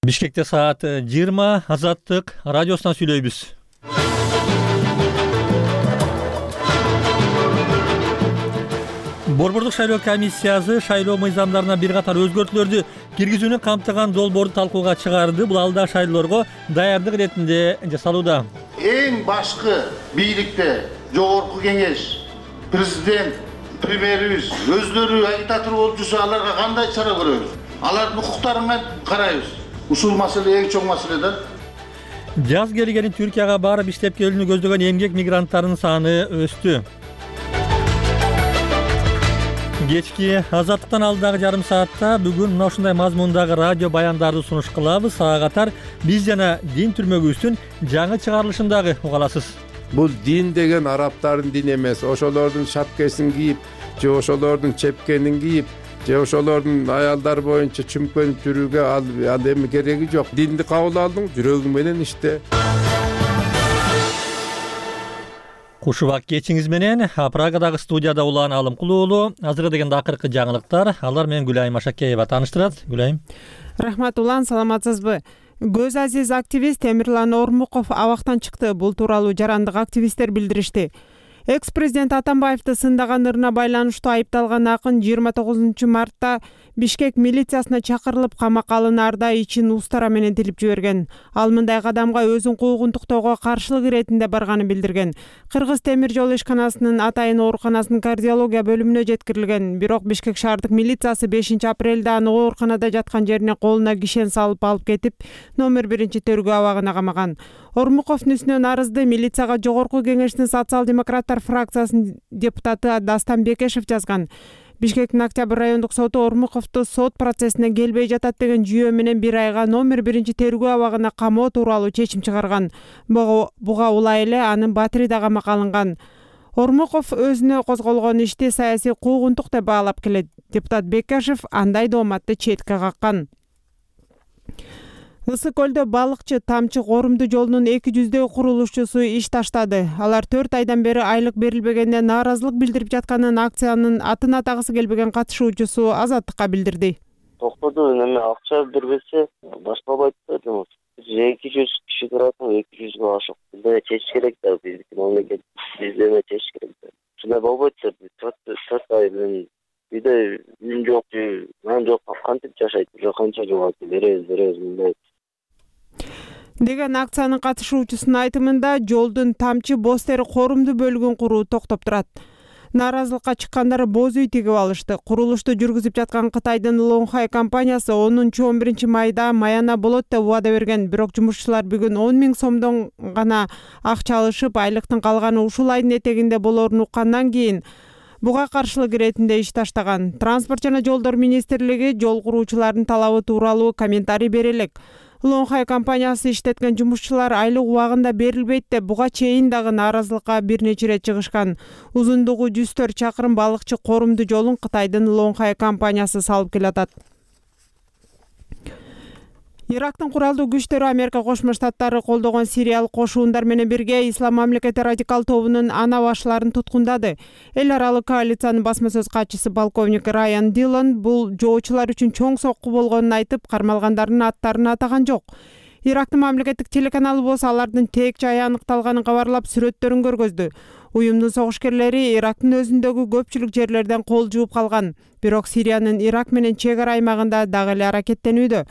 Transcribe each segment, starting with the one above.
Бишкекте саат 20 Азаттык радиосунан сүйлөйбүз. Борбордук шайлоо комиссиясы шайлоо мыйзамдарына бир катар өзгөртүүлөрдү киргизүүнү камтыган долбоорду талкууга чыгарды. Бул алда шайлоолорго даярдык иретинде жасалууда. Эң башкы бийликте жогорку кеңеш, президент, премьерибиз өздөрү агитатор болуп жүрсө, аларга кандай чара көрөбүз? Алардын укуктарына карайбыз. Ушул маселе эң чоң маселе да. Жаз келгенин Түркияга барып иштеп келүүнү көздөгөн эмгек мигранттарынын саны өстү. Кечки Азаттыктан алдагы жарым саатта бүгүн мына ушундай мазмундагы радио баяндарды сунуш кылабыз. Ага катар биз жана дин түрмөгүбүздүн жаңы чыгарылышын дагы уга аласыз. Бул дин деген арабтардын дини эмес. Ошолордун шапкесин кийип, же ошолордун чепкенин кийип, же ошолордун аялдар боюнча чүмкөнүп жүрүүгө ал эми кереги жок. Динди кабыл алдың, жүрөгүң менен иште. Кушубак кечиңиз менен Прагадагы студияда Улан Алымкул уулу. Азыркы дегенде акыркы жаңылыктар. Алар менен Гүлайым Ашакеева тааныштырат. Гүлайым. Рахмат Улан, саламатсызбы? Көз азиз активист Темирлан Ормуков абактан чыкты. Бул тууралуу жарандык активисттер билдиришти. Экс-президент Атамбаевди сындаган ырына байланыштуу айыпталган акын 29 мартта Бишкек милициясына чакырылып камакка алынаарда ичин устара менен тилип жиберген. Ал мындай кадамга өзүн куугунтуктоого каршылык иретинде барганын билдирген. Кыргыз темир жол ишканасынын Атайын ооруканасынын кардиология бөлүмүнө жеткирилген. Бирок Бишкек шаардык милициясы 5 апрелде аны ооруканада жаткан жерине колуна кишен салып алып кетип, номер 1 тергөө абагына камаган. Ормуковдун үстүнөн арызды милицияга Жогорку кеңештин социал-демократтар фракциясынын депутаты Дастан Бекешев жазган. Бишкектин Октябрь райондук соту Ормуковду сот процессине келбей жатат деген жүйө менен 1 айга номер 1 тергөө абагына камоо тууралуу чечим чыгарган. Буга улай эле анын Батириде камакка алынган. Ормуков өзүнө козголгон ишти саясий куугунтук деп баалап келет. Депутат Бекешев андай дооматты четке каккан. Ысык көлдө балыкчы Тамчы Корумду жолунун 200 курулушчусу иш таштады. Алар 4 айдан бери айлык берилбегенде нааразылык билдирип жатканын акциянын атын атагысы келбеген катышуучусу Азаттыкка билдирди. Токтоду эме акча бербесе башталбайт да жұмыс. 200 киши туратын, 200 ашык. Бизде чечиш керек да, биздики мамлекет бизде чечиш керек да. Шундай болбойт, 4 ай менен биде үй жок, нан жок, кантип жашайт, канча жыл беребиз мындай деген акциянын катышуучусунун айтымында жолдун Тамчы Бостери Корумду бөлүгүн куруу токтоп турат. Нааразылыкка чыккандар боз үй тигип алышты. Курулушту жүргүзүп жаткан Кытайдын Лонхай компаниясы 10-11 майда маяна болот деп убада берген. Бирок жумушчулар бүгүн 10 000 сомдон гана акча алышып, айлыктын калганы ушул айдын этегинде болоорун уккандан кийин буга каршылык иретинде иш таштаган. Транспорт жана жолдор министрлиги жол куруучулардын талабы тууралуу комментарий бере элек. Лонхай компаниясы иштеткен жумушчулар айлык убагында берилбейт деп буга чейин дагы нааразылыкка бир нече ирет чыгышкан. Узундугу 104 чакырым балыкчы Корумду жолун Кытайдын Лонхай компаниясы салып келатат. Ирактын куралдуу күчтөрү Америка Кошмо Штаттары колдогон сириялык кошуундар менен бирге Ислам мамлекети радикал тобунун ана башчыларын туткундады. Эл аралык коалициянын басма сөз катчысы полковник Райан Дилон бул жоочулар үчүн чоң сокку болгонун айтып, кармалгандардын аттарын атаган жок. Ирактын мамлекеттик телеканалы болсо алардын тек жайы аныкталганын кабарлап, сүрөттөрүн көргөздү. Уюмдун согушкерлери Ирактын өзүндөгү көпчүлүк жерлерден кол жууп калган. Бирок Сириянын Ирак менен чек ара аймагында дагы эле аракеттенүүдө.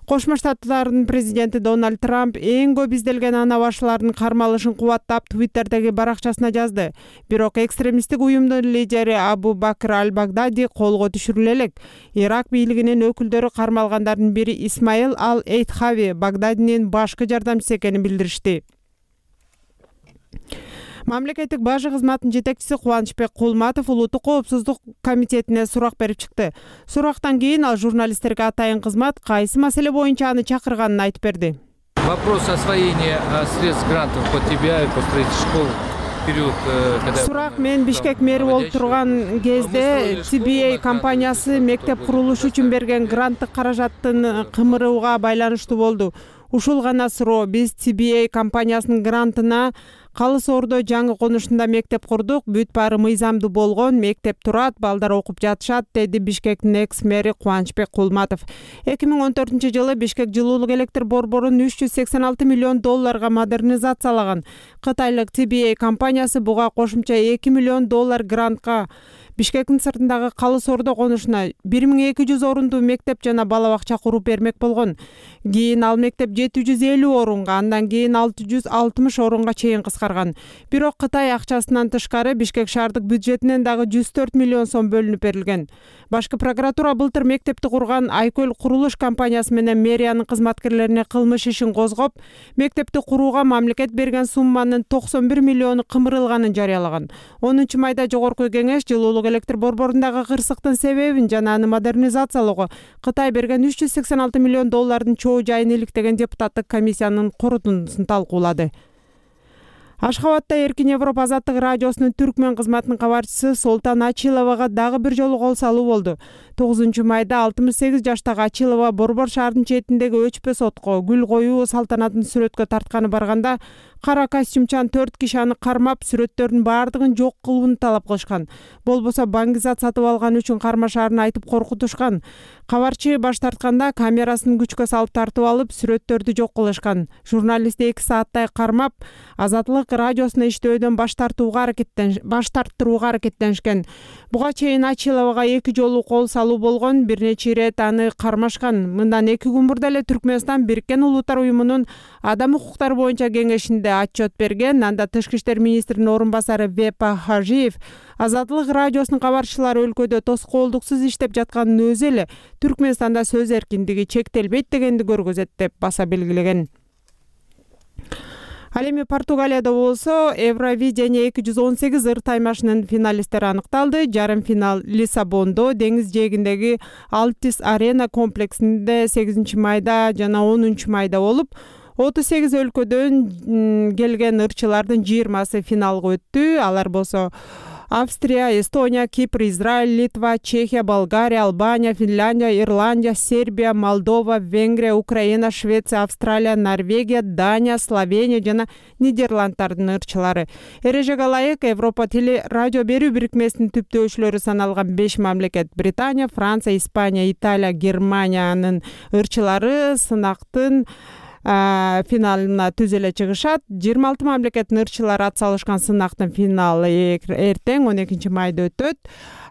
Кошмо Штаттардын президенти Дональд Трамп эң көп изделген ана башчылардын кармалышын кубаттап Твиттердеги баракчасына жазды. Бирок экстремисттик уюмдун лидери Абу Бакр Аль-Багдади колго түшүрүлө элек. Ирак бийлигинин өкүлдөрү кармалгандардын бири Исмаил Ал-Эйтхави Багдадинин башкы жардамчысы экенин билдиришти. Мамлекеттик бажы кызматынын жетекчиси Кубанычбек Кулматов Улуттук коопсуздук комитетине сурак берип чыкты. Сурактан кийин ал журналисттерге атайын кызмат кайсы маселе боюнча аны чакырганын айтып берди. Вопрос освоения средств грантов по ТБА и по строительству школ Сурак мен Бишкек мэри болуп турган кезде TBA компаниясы мектеп курулушу үчүн берген гранттык каражаттын кымырууга байланыштуу болду. Ушул гана суроо. Биз CBA компаниясынын грантына Калы Соордо жаңы конушунда мектеп курдук. Бүт баары мыйзамдуу болгон, мектеп турат, балдар окуп жатышат, деди Бишкектин экс-мэри Кубанычбек Кулматов. 2014-жылы Бишкек жылуулук электр борборун $386 миллион модернизациялаган. Кытайлык CBA компаниясы буга кошумча $2 миллион грантка Бишкектин сыртындагы Калы Соордо конушуна 1200 орундуу мектеп жана бала бакча куруп бермек болгон. Кийин ал мектеп 750 орунга, андан кийин 660 орунга чейин кыскарган. Бирок Кытай акчасынан тышкары Бишкек шаардык бюджетинен дагы 104 миллион сом бөлүнүп берилген. Башкы прокуратура былтыр мектепти курган Айкөл курулуш компаниясы менен мэриянын кызматкерлерине кылмыш ишин козгоп, мектепти курууга мамлекет берген сумманын 91 миллиону кымырылганын жарыялаган. 10 майда Жогорку Кеңеш жылуулук электр борборундагы кырсыктын себебин жана аны модернизациялоого Кытай берген $386 миллион чоо жайын иликтеген депутаттык комиссиянын корутундусун талкуулады. Ашхабадда Эркин Европа азаттык радиосунун түркмөн кызматынын кабарчысы Солтан Ачиловага дагы бир жолу кол салуу болду. 9 майда 68 жаштагы Ачилова Борбор шаарынын четиндеги өчпө сотко гүл коюу салтанатын сүрөткө тартканы барганда кара костюмчан 4 киши аны кармап, сүрөттөрдүн баардыгын жок кылууну талап кылышкан. Болбосо баңгизат сатып алган үчүн кармашаарын айтып коркутушкан. Кабарчы баш тартканда камерасын күчкө салып тартып алып, сүрөттөрдү жок кылышкан. Журналистти 2 сааттай кармап, Азаттык радиосуна иштөөдөн баш тарттырууга аракеттенишкен. Буга чейин Ачиловага 2 жолу кол салуу болгон, бир нече ирет аны кармашкан. Мындан 2 күн мурда эле Түркмөнстан Бириккен Улуттар уюмунун адам укуктары боюнча кеңешинде отчет берген. Анда Тышкы иштер министринин орун басары Вепа Хажиев Азаттык радиосунун кабарчылары өлкөдө тоскоолдуксуз иштеп жатканын өзү эле Түркмөнстанда сөз эркиндиги чектелбейт дегенди көргөзөт деп баса белгилеген. Ал эми Португалияда болсо Евровидение 218 ыр таймашынын финалисттери аныкталды. Жарым финал Лиссабондо, деңиз жээгиндеги Алтис Арена комплексинде 8 майда жана 10 майда болуп, 38 өлкөдөн келген ырчылардын 20сы финалга өттү. Алар болсо Австрия, Эстония, Кипр, Израиль, Литва, Чехия, Болгария, Албания, Финляндия, Ирландия, Сербия, Молдова, Венгрия, Украина, Швеция, Австралия, Норвегия, Дания, Словения жана Нидерланддардын ырчылары. Эрежеге ылайык Европа теле радио берүү бирикмесинин түптөөчүлөрү саналган 5 мамлекет — Британия, Франция, Испания, Италия, Германиянын ырчылары сынактын финалына түз эле чыгышат. 26 мамлекеттин ырчылары ат салышкан сынактын финалы эртең 12 майда өтөт.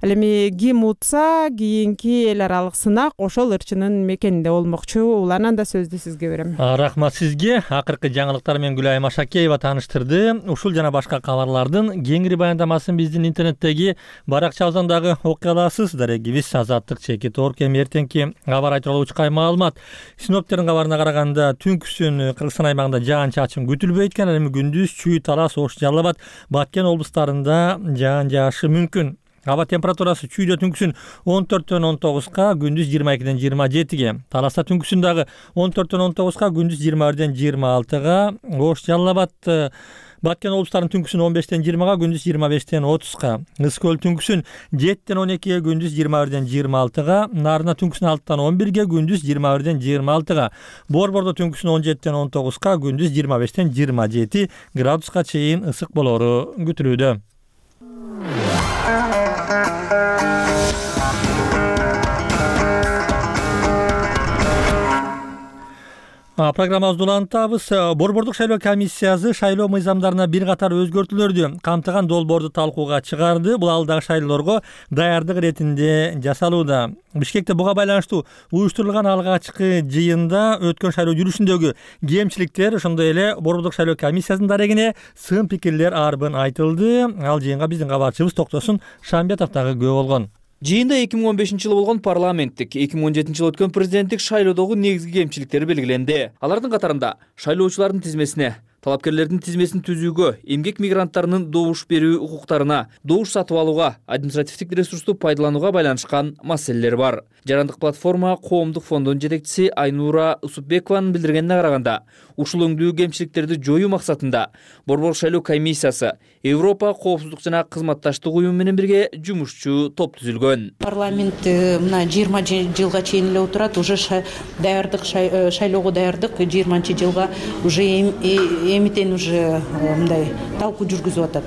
Ал эми ким утса, кийинки эл аралык сынак ошол ырчынын мекенинде болмокчу. Уланан да сөздү сизге берем. Рахмат сизге. Акыркы жаңылыктар менен Гүлайым Ашакеева тааныштырды. Ушул жана башка кабарлардын кеңири баяндамасын биздин интернеттеги баракчабыздан дагы окуй аласыз. Дарегибиз Азаттык чекит орг. Эми эртеңки кабар айтылуу учкай маалымат. Синоптиктердин кабарына караганда түнкүсүн Кыргызстан аймагында жаан-чачын күтүлбөйт экен. Эми күндүз Чүй, Талас, Ош, Жалал Абад, Баткен облустарында жаан жаашы мүмкүн. Аба температурасы Чүйдө түнкүсүн 14-төн 19га, күндүз 22-ден 27ге. Таласта түнкүсүн дагы 14-төн 19га, күндүз 21-ден 26га. Ош, Жалал Абад, Баткен облустарынын түнкүсүн 15-тен 20га, күндүз 25-тен 30га. Ысык-Көл түнкүсүн 7-тен 12ге, күндүз 21-ден 26га. Нарына түнкүсүн 6-тан 11ге, күндүз 21-ден 26га. Борбордо түнкүсүн 17-тен 19га, күндүз 25-тен 27 градуска чейин ысык болору күтүлүүдө. Программабызды улантабыз. Борбордук шайлоо комиссиясы шайлоо мыйзамдарына бир катар өзгөртүүлөрдү камтыган долбоорду талкууга чыгарды. Бул алдагы шайлоолорго даярдык иретинде жасалууда. Бишкекте буга байланыштуу уюштурулган алгачкы жыйында өткөн шайлоо жүрүшүндөгү кемчиликтер, ошондой эле борбордук шайлоо комиссиясынын дарегине сын пикирлер арбын айтылды. Ал жыйынга биздин кабарчыбыз Токтосун Шамбетов дагы күбө болгон. Жыйында 2015-жылы болгон парламенттик, 2017-жылы өткөн президенттик шайлоодогу негизги кемчиликтер белгиленди. Алардын катарында шайлоочулардын тизмесине талапкерлердин тизмесин түзүүгө, эмгек мигранттарынын добуш берүү укуктарына, добуш сатып алууга, административдик ресурсту пайдаланууга байланышкан маселелер бар. Жарандык платформа коомдук фондунун жетекчиси Айнура Усупбекованын билдиргенине караганда, ушул өңдүү кемчиликтерди жоюу максатында Борбор шайлоо комиссиясы Европа коопсуздук жана кызматташтык уюму менен бирге жумушчу топ түзүлгөн. Парламент мына 20 жылга чейин эле отурат, уже даярдык шайлоого даярдык 20 жылга уже эмитен уже мындай талкуу жүргүзүп атат.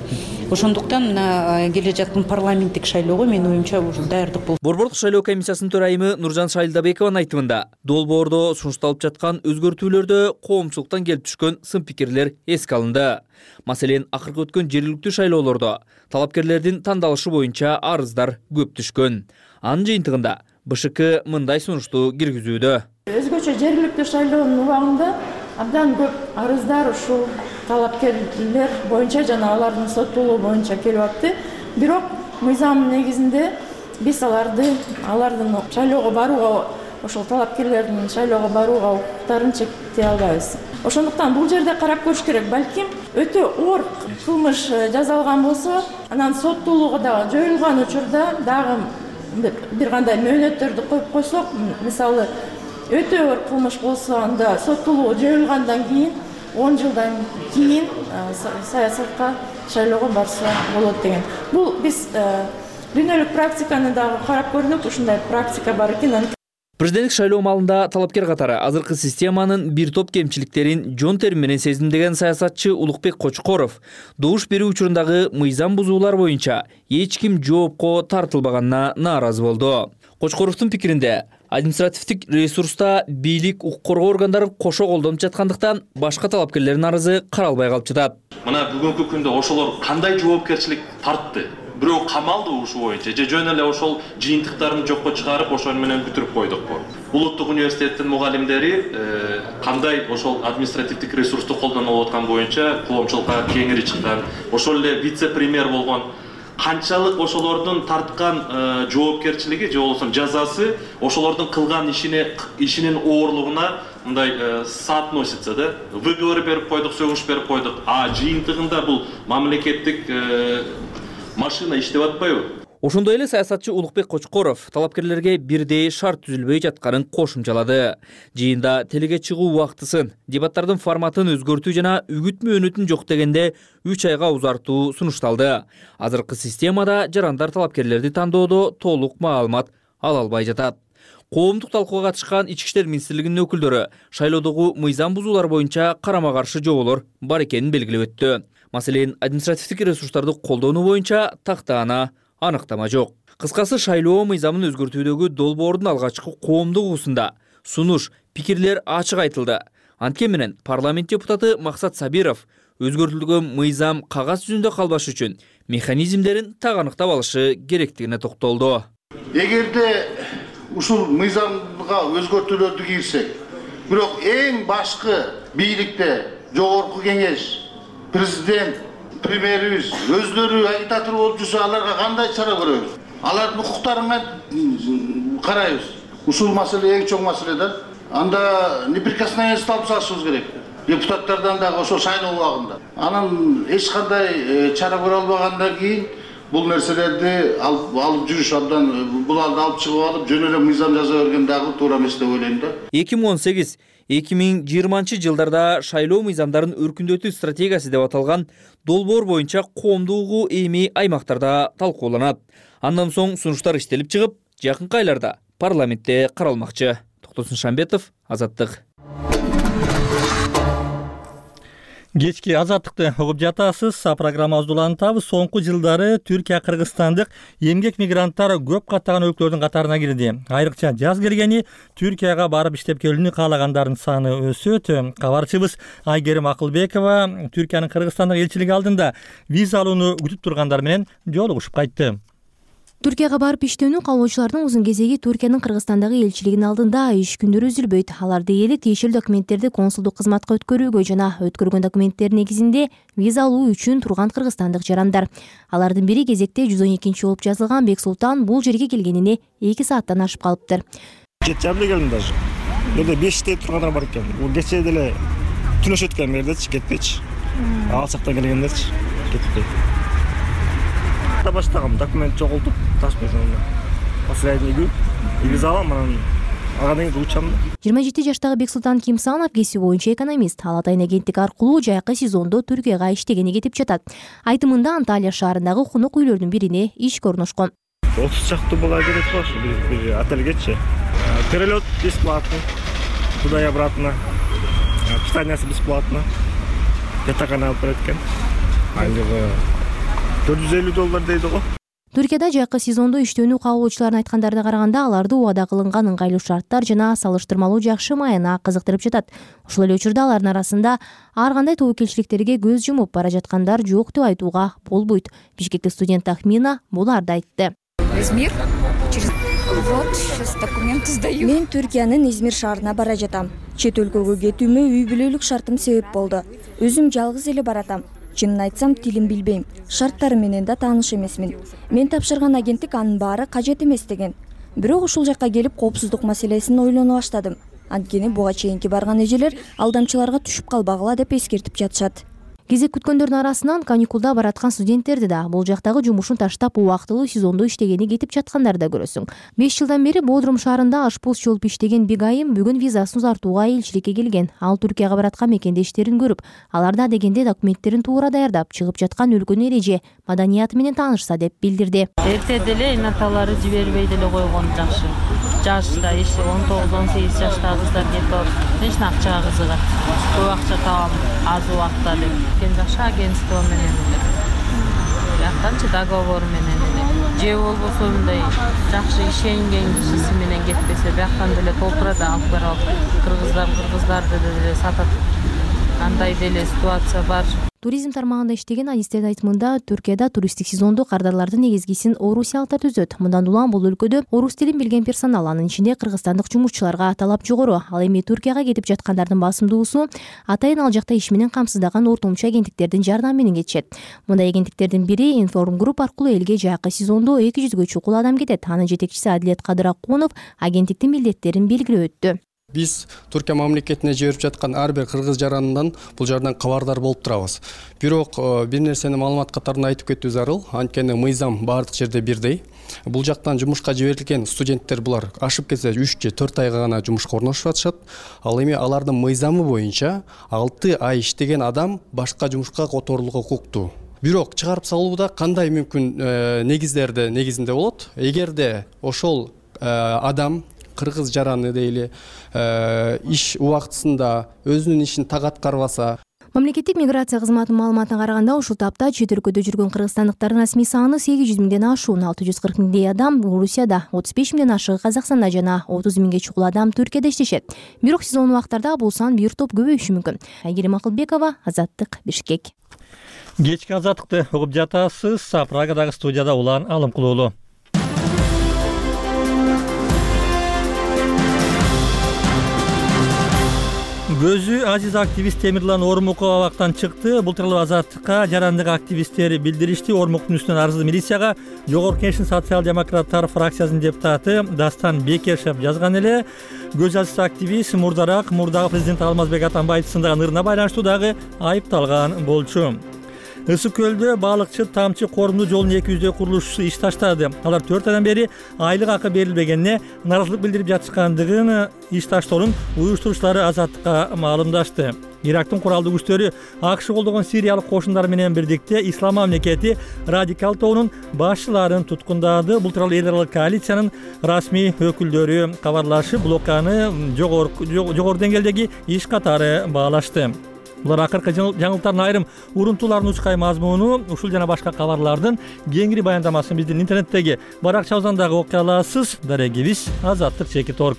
Ошондуктан мына келе жаткан парламенттик шайлоого менин оюмча уже даярдык болду. Борбордук шайлоо комиссиясынын төрайымы Нуржан Шайлдабекованын айтымында, долбоордо сунушталып жаткан өзгөртүүлөрдө коомчулуктан келип түшкөн сын пикирлер эске алынды. Маселен, акыркы өткөн жергиликтүү шайлоолордо талапкерлердин тандалышы боюнча арыздар көп түшкөн. Анын жыйынтыгында БШК мындай сунушту киргизүүдө. Өзгөчө жергиликтүү шайлоонун убагында абдан көп арыздар ушул талапкерлер боюнча жана алардын соттуулугу боюнча келип атты. Бирок мыйзам негизинде биз алардын шайлоого барууга, ошол талапкерлердин шайлоого барууга укуктарын чектей албайбыз. Ошондуктан бул жерде карап көрүш керек. Балким өтө оор кылмыш жазалган болсо, анан соттуулугу дагы жоюлган учурда дагы бир кандай мөөнөттөрдү коюп койсок, мисалы өтө оор кылмыш болсо, анда соттуулугу жоюлгандан кийин 10 жылдан кийин саясатка шайлоого барса болот деген. Бул биз дүйнөлүк практиканы дагы карап көрдүк, ушундай практика бар экен. Президенттик шайлоо маалында талапкер катары азыркы системанын бир топ кемчиликтерин жон тери менен сезимдеген саясатчы Улукбек Кочкоров добуш берүү учурундагы мыйзам бузуулар боюнча эч ким жоопко тартылбаганына нааразы болду. Кочкоровдун пикиринде, административдик ресурста бийлик, укук коргоо органдарын кошо колдонуп жаткандыктан башка талапкерлердин арызы каралбай калып жатат. Мына бүгүнкү күндө ошолор кандай жоопкерчилик тартты? Бирөө камалды ушул боюнча, же жөн эле ошол жыйынтыктарын жокко чыгарып, ошону менен бүтүрүп койдукпу? Улуттук университеттин мугалимдери кандай ошол административдик ресурсту колдонуп аткан боюнча коомчулукка кеңири чыккан, ошол эле вице-премьер болгон канчалык ошолордун тарткан жоопкерчилиги же болбосо жазасы ошолордун кылган ишинин оорлугуна мындай соотносится, да? Выговор берип койдук, сөгүш берип койдук, а жыйынтыгында бул мамлекеттик машина иштеп атпайбы? Ошондой эле саясатчы Улукбек Кочкоров талапкерлерге бирдей шарт түзүлбөй жатканын кошумчалады. Жыйында телеге чыгуу убактысын, дебаттардын форматын өзгөртүү жана үгүт мөөнөтүн жок дегенде 3 айга узартуу сунушталды. Азыркы системада жарандар талапкерлерди тандоодо толук маалымат ала албай жатат. Коомдук талкууга катышкан Ички иштер министрлигинин өкүлдөрү шайлоодогу мыйзам бузуулар боюнча карама-каршы жооболор бар экенин белгилеп өттү. Маселен, административдик ресурстарды колдонуу боюнча тактаана аныктама жок. Кыскасы, шайлоо мыйзамын өзгөртүүдөгү долбоордун алгачкы коомдук угусунда сунуш, пикирлер ачык айтылды. Анткени менен парламент депутаты Максат Сабиров өзгөртүлгөн мыйзам кагаз жүзүндө калбаш үчүн механизмдерин так аныктап алышы керектигине токтолду. Эгерде ушул мыйзамга өзгөртүүлөрдү кирсек, бирок эң башкы бийликте жогорку кеңеш, президент, премьерибиз өздөрү агитатор болуп жүрсө, аларга кандай чара көрөбүз? Алардын укуктарына карайбыз. Ушул маселе эң чоң маселе да. Анда неприкосновенность алып салышыбыз керек. Депутаттардан дагы ошол шайлоо убагында. Анан эч кандай чара көрө албагандан кийин бул нерселерди алып жүрүш абдан буларды алып чыгып алып жөн эле мыйзам жаза берген дагы туура эмес деп ойлойм да. 2018-2020 жылдарда шайлоо мыйзамдарын өркүндөтүү стратегиясы деп аталган долбоор боюнча коомдугу эми аймактарда талкууланат. Андан соң сунуштар иштелип чыгып, жакынкы айларда парламентте каралмакчы. Токтосун Шамбетов, Азаттык. Кечки Азаттыкты угуп жатасыз. Программабызды улантабыз. Соңку жылдары Түркия, Кыргызстандык эмгек мигранттар көп каттаган өлкөлөрдүн катарына кирди. Айрыкча жаз келгени Түркияга барып иштеп келүүнү каалагандардын саны өсөт. Кабарчыбыз Айгерим Акылбекова Түркиянын Кыргызстандык элчилиги алдында виза алууну күтүп тургандар менен жолугушуп кайтты. Түркияга барып иштөөнү каалоочулардын узун кезеги Түркиянын Кыргызстандагы элчилигинин алдында иш күндөрү үзүлбөйт. Алар дээрлик тиешелүү документтерди консулдук кызматка өткөрүүгө жана өткөргөн документтердин негизинде виза алуу үчүн турган кыргызстандык жарандар. Алардын бири кезекте 112 болуп жазылган Бексултан бул жерге келгенине 2 сааттан ашып калыптыр. 7 жарымда келдим даже. Жерде 5 тургандар бар экен. Бул кечээ деле түнөшөт экен бердечи, кетпейчи. Алчактан келгендерчи кетпей. Баштагам документ жоголтуп, ташпайсыңдар. Последний визалам, анан агадан кийин учам. 27 жаштагы Бексултан Кимсанов кесиби боюнча экономист. Ал Атайын агенттик аркылуу жайкы сезондо Түркияга иштегени кетип жатат. Айтымында Анталия шаарындагы конок үйлөрдүн бирине ишке орношкон. 30 чакты бала келет го бир отельгечи. Перелет бесплатный. Туда и обратно. Питание бесплатно. Пятакана алып берет экен. Андагы $450 дейди го. Түркияда жайкы сезондо иштөөнү кабыл алуучулардын айткандарына караганда аларды убада кылынган ыңгайлуу шарттар жана салыштырмалуу жакшы майына кызыктырып жатат. Ошол эле учурда алардын арасында ар кандай тобокелчиликтерге көз жумуп бара жаткандар жок деп айтууга болбойт. Бишкектик студент Ахмина буларды айтты. Измир. Вот, сейчас документы сдаю. Мен Түркиянын Измир шаарына бара жатам. Чет өлкөгө кетүүмө үй бүлөлүк шартым себеп болду. Өзүм жалгыз эле баратам. Чынын айтсам, тилин билбейм. Шарттары менен да тааныш эмесмин. Мен тапшырган агенттик анын баары кажет эмес деген. Бирок ушул жакка келип коопсуздук маселесин ойлоно баштадым. Анткени буга чейинки барган эжелер алдамчыларга түшүп калбагыла деп эскертип жатышат. Кезек күткөндөрдүн арасынан каникулда бараткан студенттерди да, бул жактагы жумушун таштап убактылуу сезондо иштегени кетип жаткандарды да көрөсүң. 5 жылдан бери Бодрум шаарында ашпуз болуп иштеген Бигайым бүгүн визасын узартууга элчиликке келген. Ал Түркияга бараткан мекендештерин көрүп, аларда дегенде документтерин туура даярдап, чыгып жаткан өлкөнүн эреже, маданияты менен таанышса деп билдирди. Эрте деле энаталары жибербей деле койгон жакшы. Жашта 19-18 жаштагы кыздар кетип алып, эч акчага кызыгат. Көп акча табам аз убакта деп. Кен жакшы агентство менен эле. Жактанчы договор менен эле. Же болбосо мындай жакшы ишенген кишиси менен кетпесе, бияктан деле толтурат алып барып, кыргыздарды деле сатат. Андай деле ситуация бар. Туризм тармагында иштеген адистердин айтымында Түркияда туристтик сезондо кардарлардын негизгисин орусиялыктар түзөт. Мындан улам бул өлкөдө орус тилин билген персонал, анын ичинде кыргызстандык жумушчуларга талап жогору. Ал эми Түркияга кетип жаткандардын басымдуусу атайын ал жакта иш менен камсыздаган ортомчу агенттиктердин жардамы менен кетишет. Мындай агенттиктердин бири Информ Групп аркылуу элге жайкы сезондо 200гө чукул адам кетет. Анын жетекчиси Адилет Кадыракунов агенттиктин милдеттерин белгилеп өттү. Биз Түркия мамлекетине жиберип жаткан ар бир кыргыз жаранынан бул жардан кабардар болуп турабыз. Бирок бир нерсени маалымат катарында айтып кетүү зарыл. Анткени мыйзам бардык жерде бирдей. Бул жактан жумушка жиберилген студенттер булар ашып кетсе 3 же 4 айга гана жумушка орношуп атышат. Ал эми алардын мыйзамы боюнча 6 ай иштеген адам башка жумушка которулууга укуктуу. Бирок чыгарып салууда кандай мүмкүн негизинде болот? Эгерде ошол адам кыргыз жараны дейли иш убактысында өзүнүн ишин так аткарбаса. Мамлекеттик миграция кызматынын маалыматына караганда ушул тапта чет өлкөдө жүргөн кыргызстандыктардын расмий саны 800 миңден ашуун, 640 миңдей адам Орусияда, 35 миңден ашыгы Казакстанда жана 30 миңге чукул адам Түркияда иштешет. Бирок сезон убактарда бул сан бир топ көбөйүшү мүмкүн. Айгерим Акылбекова, Азаттык, Бишкек. Кечки азаттыкты угуп жатасыз. Прагадагы студияда Улан Алымкулуулу. Көзү азиз активист Темирлан Ормуков абактан чыкты. Бул тууралуу Азаттыкка жарандык активисттер билдиришти. Ормуктун үстүнөн арызды милицияга Жогорку Кеңештин социал-демократтар фракциясынын депутаты Дастан Бекешев жазган эле. Көз азиз активист мурдагы президент Алмазбек Атамбаевдин сындаган ырына байланыштуу дагы айыпталган болчу. Ысык көлдө балыкчы Тамчы корумдуу жолунун 200 курулушчусу иш таштады. Алар 4 айдан бери айлык акы берилбегенине нааразылык билдирип жатышкандыгын иш таштоонун уюштуруучулары Азаттыкка маалымдашты. Ирактын куралдуу күчтөрү АКШ колдогон сириялык кошундары менен бирдикте Ислам мамлекети радикал тобунун башчыларын туткундады. Бул тууралуу эл аралык коалициянын расмий өкүлдөрү кабарлашып, блоканы жогору деңгээлдеги иш катары баалашты. Булар акыркы жаңылыктардын айрым урунтууларын учкай мазмуну, ушул жана башка кабарлардын кеңири баяндамасын биздин интернеттеги баракча абзандагы окуя аласыз. Дарегибиз Азаттык.org.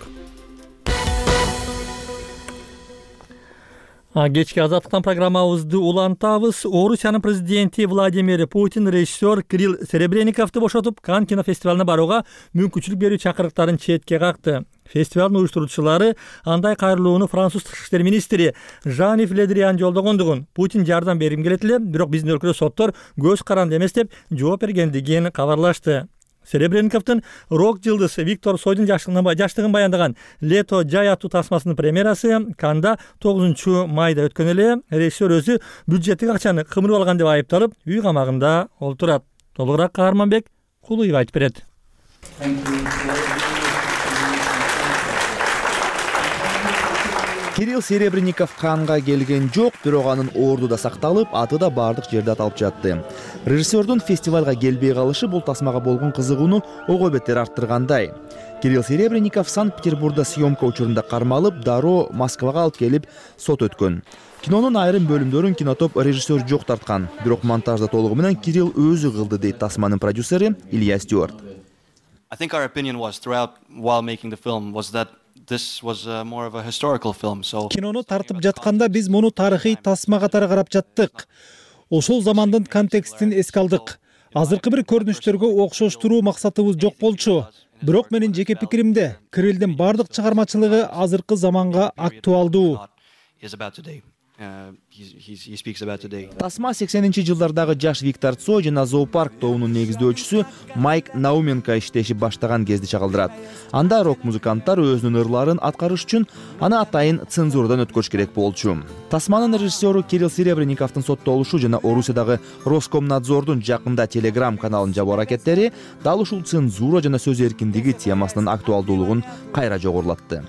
Кечки Азаттыктан программабызды улантабыз. Орусиянын президенти Владимир Путин режиссер Кирилл Серебренниковду бошотуп, Канн кинофестивалына барууга мүмкүнчүлүк берүү чакырыктарын четке какты. Фестивалдын уюштуруучулары андай кайрылууну француз тышкы иштер министри Жан-Ив Ле Дриан жолдогондугун, Путин жардам бергим келет эле, бирок биздин өлкөдө соттор көз каранды эмес деп жооп бергендигин кабарлашты. Серебренниковдун рок жылдыз Виктор Цойдун жаштыгын баяндаган «Лето жай» аттуу тасмасынын премьерасы Канда 9 майда өткөн эле. Режиссер өзү бюджеттик акчаны кымырып алган деп айыпталып, үй камагында олтурат. Толугураак Каарманбек Кулуев айтып берет. Кирилл Серебренников Канга келген жок, бирок анын орду да сакталып, аты да бардык жерде аталып жатты. Режиссердун фестивалга келбей калышы бул тасмага болгон кызыгууну ого бетер арттыргандай. Кирилл Серебренников Санкт-Петербургда съемка учурунда кармалып, дароо Москвага алып келип сот өткөн. Кинонун айрым бөлүмдөрүн кинотоп режиссер жок тарткан, бирок монтажда толугу менен Кирилл өзү кылды дейт тасманын продюсери Илья Стюарт. I think our opinion was throughout while making the film was that this was more of a historical film. So Кинону тартып жатканда биз муну тарыхый тасма катары карап жаттык. Ошол замандын контекстин эске алдык. Азыркы бир көрүнүштөргө окшоштуруу максатыбыз жок болчу. Бирок менин жеке пикиримде Кириллдин бардык чыгармачылыгы азыркы заманга актуалдуу. Тасма 80-жылдардагы жаш Виктор Цой жана Зоопарк тобунун негиздөөчүсү Майк Науменко иштеши баштаган кезди чагылдырат. Анда рок-музыканттар өзүнүн ырларын аткарыш үчүн аны атайын цензурадан өткөрүш керек болчу. Тасманын режиссеру Кирилл Серебренниковдун соттолушу жана Орусиядагы Роскомнадзордун жакында Telegram каналын жабуу аракеттери дал ушул цензура жана сөз эркиндиги темасынын актуалдуулугун кайра жогорулатты.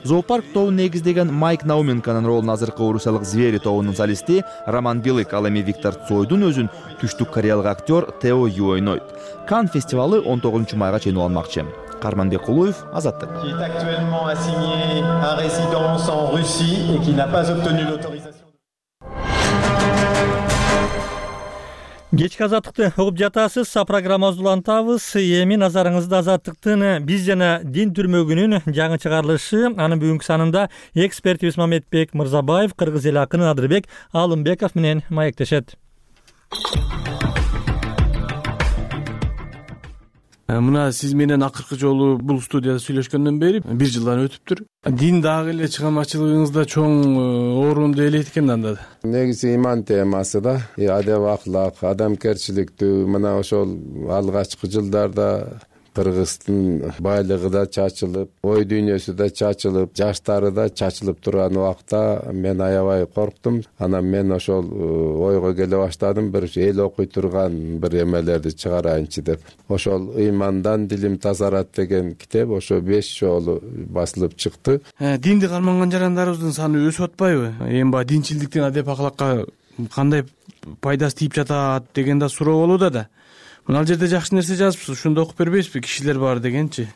Зоопарк тобун негиздеген Майк Науменконун ролун азыркы орусиялык Звери тобунун солисти Роман Билык, ал эми Виктор Цойдун өзүн түштүк кореялык актер Тео Ю ойнойт. Кан фестивалы 19 майга чейин уланмакчы. Карманбек Кулуев, Азаттык. Qui est actuellement assigné à résidence en Russie et qui n'a pas obtenu l'autorisation. Кечки Азаттыкты угуп жатасыз. Программабызды улантабыз. Эми назарыңызда Азаттыктын биз жана дин түрмөгүнүн жаңы чыгарылышы. Анын бүгүнкү санында экспертибиз Мамедбек Мырзабаев, кыргыз эл акыны Адырбек Алымбеков менен маектешет. Мына сиз менен акыркы жолу бул студияда сүйлөшкөндөн бери 1 жылдан өтүптүр. Дин дагы эле чыгармачылыгыңызда чоң орунду ээлейт экен анда. Негизи иман темасы да, адеп аклак, адамгерчиликтүү, мына ошол алгачкы жылдарда Кыргыздын байлыгы да чачылып, ой дүйнөсү да чачылып, жаштары да чачылып турган убакта мен аябай корктум. Анан мен ошол ойго келе баштадым, бир эл окуй турган бир эмелерди чыгарайынчы деп. Ошол «Ыймандан дилим тазарат» деген китеп ошо 5 жолу басылып чыкты. Динди карманган жарандарыбыздын саны өсүп атпайбы? Эми баягы динчиликтин адеп аклакка кандай пайдасы тийип жатат деген да суроо болууда да. Ал жерде жакшы нерсе жазыпсыз, ошондо окуп бербейсизби? Кишилер бар дегенчи.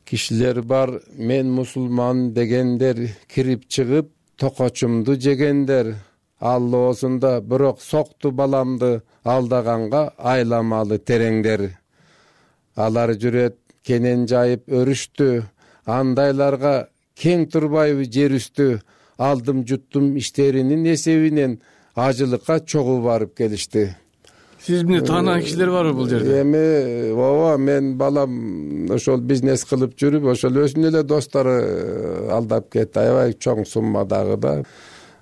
Кишилер бар, мен мусулман дегендер, кирип чыгып токочумду жегендер. Аллоосунда бирок сокту баламды, алдаганга айламалы тереңдер. Алар жүрөт кенен жайып өрүштү, андайларга кең турбайбы жер үстү. Алдым жуттум иштеринин эсебинен, ажылыкка чогуу барып келишти. Сиз эмне таанаган кишилер барбы бул жерде? Эми ооба, мен балам ошол бизнес кылып жүрүп, ошол өзүнүн эле достору алдап кетти. Аябай чоң суммадагы да.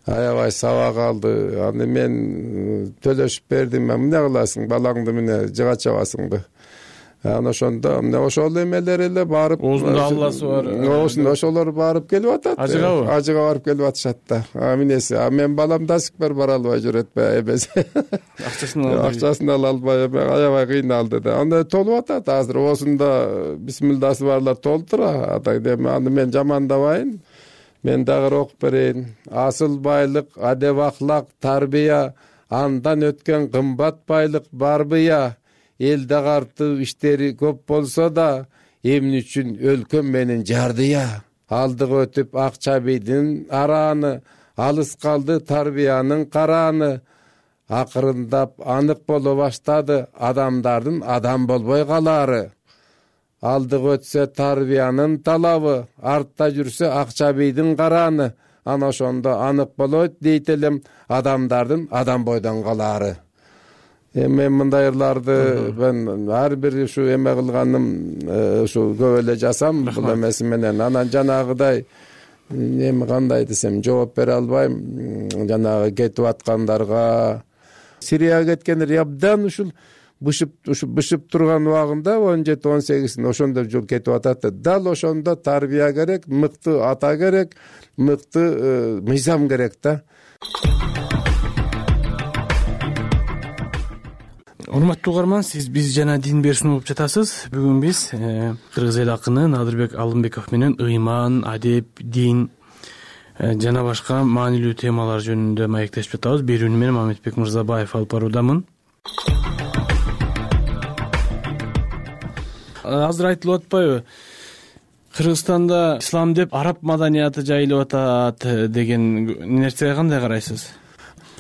Аябай сабак алды. Аны мен төлөшүп бердим. Эмне кыласың? Балаңды мына жыга чабасыңбы? Аны ошондо ошол эмелер эле барып, оозунда алласы бар. Ошолор барып келип атат. Ажыгабы? Ажыга барып келип атышат да. Минеси, мен балам да сикбер бара албай жүрөт эмеси. Акчасын ала албай, аябай кыйналды да. Анда толуп атат азыр. Оозунда бисмилдасы барлар толтура. Аны мен жамандабайын. Мен дагы окуп берейин. Асыл байлык, адеп аклак, тарбия, андан өткөн кымбат байлык барбыя. Элде картуу иштери көп болсо да, эмне үчүн өлкөм менен жардыя. Алдыга өтүп Акчабийдин арааны, алыс калды тарбиянын карааны. Акырындап анык боло баштады адамдардын адам болбой калаары. Алдыга өтсө тарбиянын талабы, артта жүрсө Акчабийдин карааны. Ана ошондо анык болот дейт элем адамдардын адам бойдон калаары. Мен мындай ырларды мен ар бир ушу эме кылганым ушу көп эле жасам бул эмеси менен. Анан жанагыдай эми кандай десем жооп бере албайм. Жанагы кетип аткандарга, Сирияга кеткендер абдан ушул бышып турган убагында 17-18 ошондо жыл кетип атат да. Дал ошондо тарбия керек, мыкты ата керек, мыкты мыйзам керек да. Урматтуу угарман, сиз биз жана дин берүүчү болуп жатасыз. Бүгүн биз кыргыз эл акыны Надырбек Алымбеков менен ыйман, адеп, дин жана башка маанилүү темалар жөнүндө маектешип жатабыз. Берүүнү мен Мамедбек Мырзабаев алып баруудамын. Азыр айтылып атпайбы? Кыргызстанда ислам деп араб маданияты жайылып атат деген нерсеге кандай карайсыз?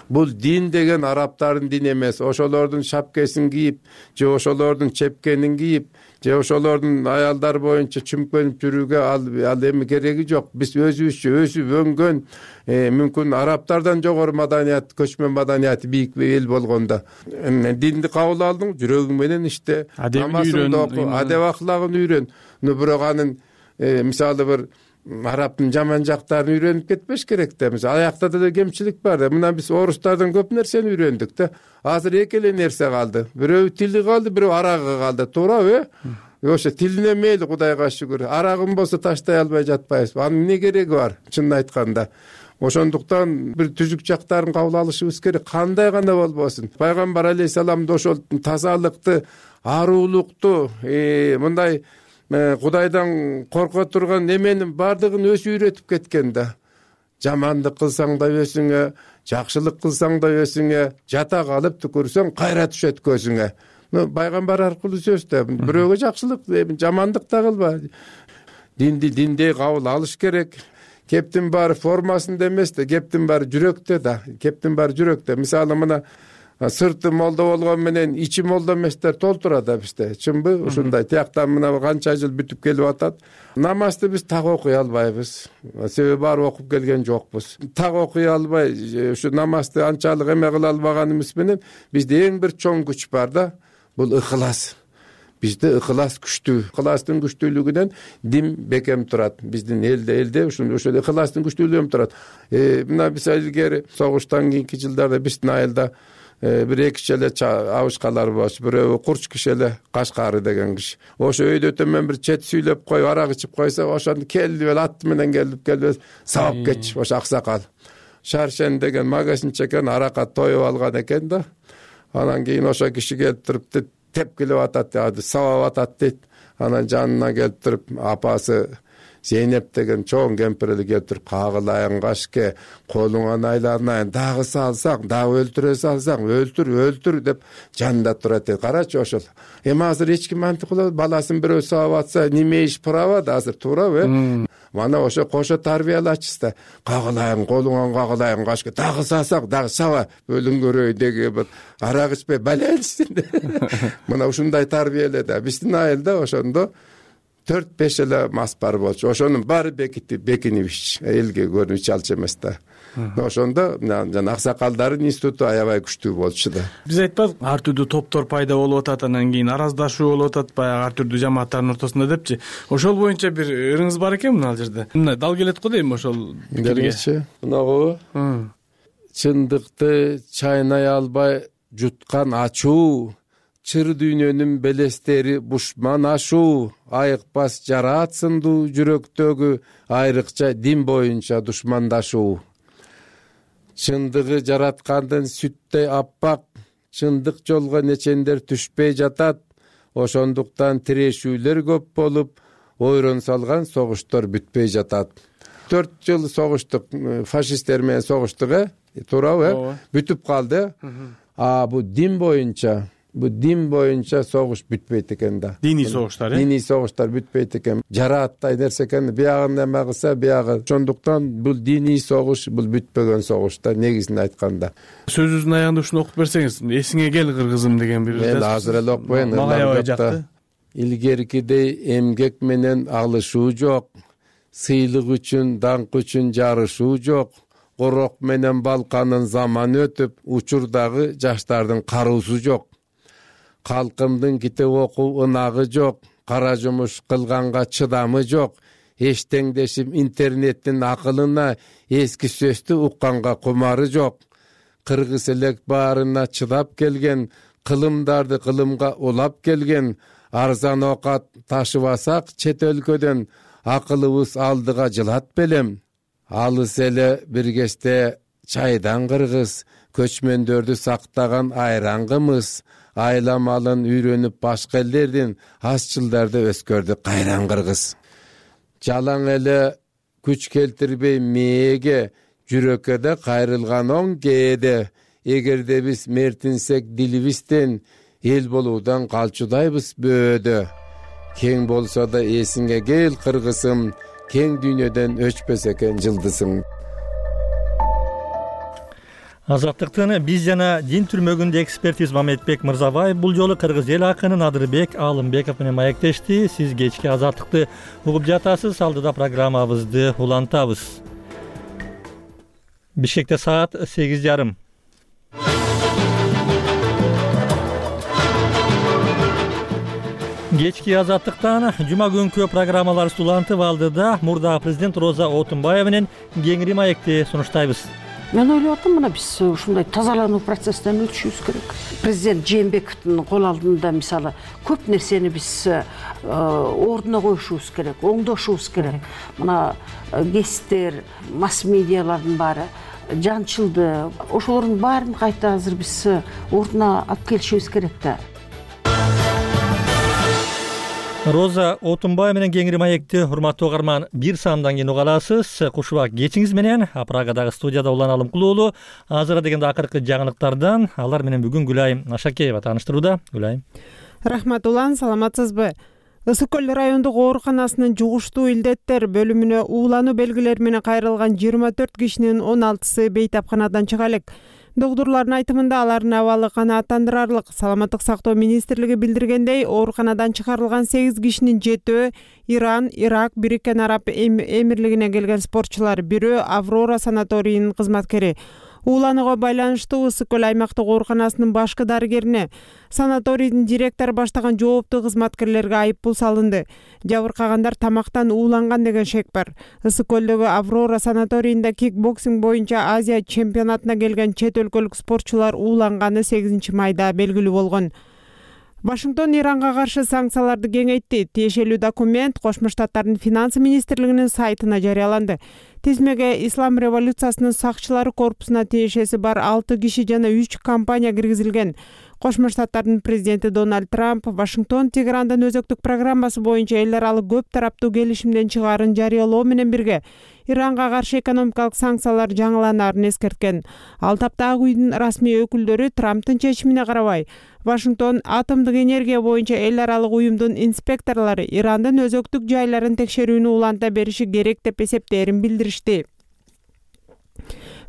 Бул дин деген арабтардын дини эмес. Ошолордун шапкесин кийип, же ошолордун чепкенин кийип, же ошолордун аялдар боюнча чүмкөнүп жүрүүгө ал эми кереги жок. Биз өзүбүзчө өсүп өнгөн, мүмкүн арабтардан жогору маданият, көчмөн маданият бийик эл болгондо динди кабыл алдың, жүрөгүң менен иште, намазыңды оку, адеп аклагын үйрөн. Бирок анын мисалы бир арабтын жаман жактарын үйрөнүп кетпеш керек да. Мисалы аякта да кемчилик бар да. Мына биз орустардан көп нерсени үйрөндүк да. Азыр эки эле нерсе калды. Бирөө тили калды, бирөө арагы калды. Туурабы? Ошо тилине мейли, Кудайга шүгүр. Арагым болсо таштай албай жатпайбыз. Анын эмне кереги бар? Чынын айтканда. Ошондуктан бир түзүк жактарын кабыл алышыбыз керек. Кандай гана болбосун. Пайгамбар алейхисалам да ошол тазалыкты, аруулукту, мындай Кудайдан корко турган неменин бардыгын өзү үйрөтүп кеткен да. Жамандык кылсаң да өзүңө, жакшылык кылсаң да өзүңө, жата калып түкүрсөң кайра түшөт көзүңө. Пайгамбар аркылуу сөз да. Бирөөгө жакшылык, жамандык да кылба. Динди диндей кабыл алыш керек. Кептин баары формасында эмес да, кептин баары жүрөктө да. Кептин баары жүрөктө. Мисалы мына сырты молдо болгон менен ичи молдо эместер толтурат да бизде. Чынбы? Ушундай. Тияктан мына канча жыл бүтүп келип атат. Намазды биз так окуй албайбыз. Себеби баары окуп келген жокпуз. Так окуй албай, ушу намазды анчалык эме кыла албаганыбыз менен бизде эң бир чоң күч бар да. Бул ыхылас. Бизде ыхылас күчтүү. Ыхыластын күчтүүлүгүнөн дин бекем турат. Биздин элде ошол ыхыластын күчтүүлүгүнөн турат. Мына биз илгери согуштан кийинки жылдарда биздин айылда бир эки киши эле абышкалар болчу. Бирөө курч киши эле Кашкары деген киши. Ошо өйдө төмөн бир чет сүйлөп коюп, арак ичип койсо, ошону келди эле аты менен келип сабап кетчү. Ошо аксакал. Шаршен деген магазинчи экен, аракка тоюп алган экен да. Анан кийин ошо киши келип туруп тепкилеп атат, сабап атат дейт. Анан жанына келип туруп апасы Зейнеп деген чоң кемпир эле келип туруп, кагылайын кашке, колуңан айланайын, дагы салсаң, дагы өлтүрө салсаң, өлтүр деп жанында турат. Карачы ошол. Эми азыр эч ким антип кылат, баласын бирөө сабап атса, неме иш права да азыр, туурабы? Мана ошо кошо тарбиялачысыз да. Кагылайын, колуңан кагылайын кашке, дагы салсаң, дагы саба, өлүң көрөй деген бир арак ичпей баленсин. Мына ушундай тарбияле да. Биздин айылда ошондо 4-5 эле мас бар болчу. Ошонун баары бекинип ич, элге көрүнүп ич алчу эмес да. Ошондо жана аксакалдардын институту аябай күчтүү болчу да. Биз айтпадык, ар түрдүү топтор пайда болуп атат, анан кийин араздашуу болуп атат, баягы ар түрдүү жамааттардын ортосунда депчи. Ошол боюнча бир ырыңыз бар экен мына жерде. Мындай дал келет го дейм ошол пикирге. Мынагу чындыкты чайнай албай жуткан ачуу, чыр дүйнөнүн белестери бушман ашуу, айыкпас жараат сындуу жүрөктөгү айрыкча дин боюнча душмандашуу. Чындыгы жараткандын сүттей аппак, чындык жолго нечендер түшпөй жатат. Ошондуктан тирешүүлөр көп болуп, ойрон салган согуштар бүтпөй жатат. 4 жыл согуштук, фашисттер менен согуштук, туурабы? Бүтүп калды. Бу дин боюнча согуш бүтпөйт экен да. Диний согуштар, Диний согуштар бүтпөйт экен. Жарааттай нерсе экен. Биягын эме кылса, биягы. Ошондуктан бул диний согуш, бул бүтпөгөн согуш да, негизин айтканда. Сөзүңүздүн аягында ушуну окуп берсеңиз, эсиңе кел кыргызым деген бир. Мен азыр эле окуйн. Илгеркидей эмгек менен алышуу жок. Сыйлык үчүн, даңк үчүн жарышуу жок. Корок менен балканын заман өтүп, учурдагы жаштардын кароосу жок. Калкымдын китеп окуу ынагы жок, кара жумуш кылганга чыдамы жок. Эчтеңдешип интернеттин акылына эски сөздү укканга кумары жок. Кыргыз элек баарына чыдап келген кылымдарды кылымга улап келген арзан оокат ташыбасак чет өлкөдөн акылыбыз алдыга жылат белем. Алыс эле бир кечте чайдан кыргыз, көчмөндөрдү сактаган айрангымыз, айла малын үйрөнүп башка элдердин асчылдарды өскөрдү кайран кыргыз. Жалаң эле күч келтирбей мээге, жүрөккө да кайрылган оң кээде. Эгерде биз мертинсек дилибизден, эл болуудан калчудайбыз бөөдө. Кең болсо да эсиңе кел кыргызым, кең дүйнөдөн өчпөс экен жылдызың. Азаттыктын биз жана дин түрмөгүндө экспертиз Мамедбек Мырзабаев бул жолу кыргыз эл акыны Надырбек Алымбеков менен маектешти. Сиз кечки Азаттыкты угуп жатасыз, алдыда программабызды улантабыз. Бишкекте саат 8:30. Кечки Азаттыктан жума күнкү программаларыбызды улантып, алдыда мурдагы президент Роза Отунбаева менен кеңири маекти сунуштайбыз. Мен ойлоп атам, мына биз ушундай тазалануу процесстен өтүшүбүз керек. Президент Жээнбековдун кол алдында мисалы көп нерсени биз ордуна коюшубуз керек, оңдошубуз керек. Мына гесттер, масс медиалардын баары жанчылды, ошолордун баарын кайта азыр биз ордуна алып келишибиз керек да. Роза Отунбаева менен кеңири маекти урматтуу угарман бир саамдан кийин уга аласыз. Кушубак кечиңиз менен Прагадагы студияда Улан Алымкулуулу. Азыркы дегенде акыркы жаңылыктардан алар менен бүгүн Гүлайым Ашакеева тааныштырууда. Гүлайым. Рахмат Улан, саламатсызбы? Ысык көл райондук ооруканасынын жугуштуу илдеттер бөлүмүнө уулануу белгилери менен кайрылган 24 кишинин 16сы бейтапканадан чыга элек. Доктурлардын айтымында алардын абалы канааттандырарлык. Саламаттык сактоо министрлиги билдиргендей, ооруканадан чыгарылган 8 кишинин 7-өө Иран, Ирак, Бириккен Араб Эмирлигине келген спортчулар, бирөө Аврора санаторийинин кызматкери. Ууланууга байланыштуу Ысык көл аймактык ооруканасынын башкы дарыгерине, санаторийдин директору баштаган жооптуу кызматкерлерге айыппул салынды. Жабыркагандар тамактан ууланган деген шек бар. Ысык көлдөгү Аврора санаторийинде кикбоксинг боюнча Азия чемпионатына келген чет өлкөлүк спортчулар ууланганы 8 майда белгилүү болгон. Вашингтон Иранга каршы санкцияларды кеңейтти. Тиешелүү документ Кошмо Штаттардын финансы министрлигинин сайтына жарыяланды. Тизмеге Ислам революциясынын сакчылары корпусуна тиешеси бар 6 киши жана 3 компания киргизилген. Кошмо Штаттардын президенти Дональд Трамп Вашингтон Тегерандын өзөктүк программасы боюнча эл аралык көп тараптуу келишимден чыгаарын жарыялоо менен бирге Иранга каршы экономикалык санкциялар жаңыланаарын эскерткен. Ал тапта Ак үйдүн расмий өкүлдөрү Трамптын чечимине карабай Вашингтон атомдук энергия боюнча эл аралык уюмдун инспекторлору Ирандын өзөктүк жайларын текшерүүнү уланта бериши керек деп эсептээрин билдиришти.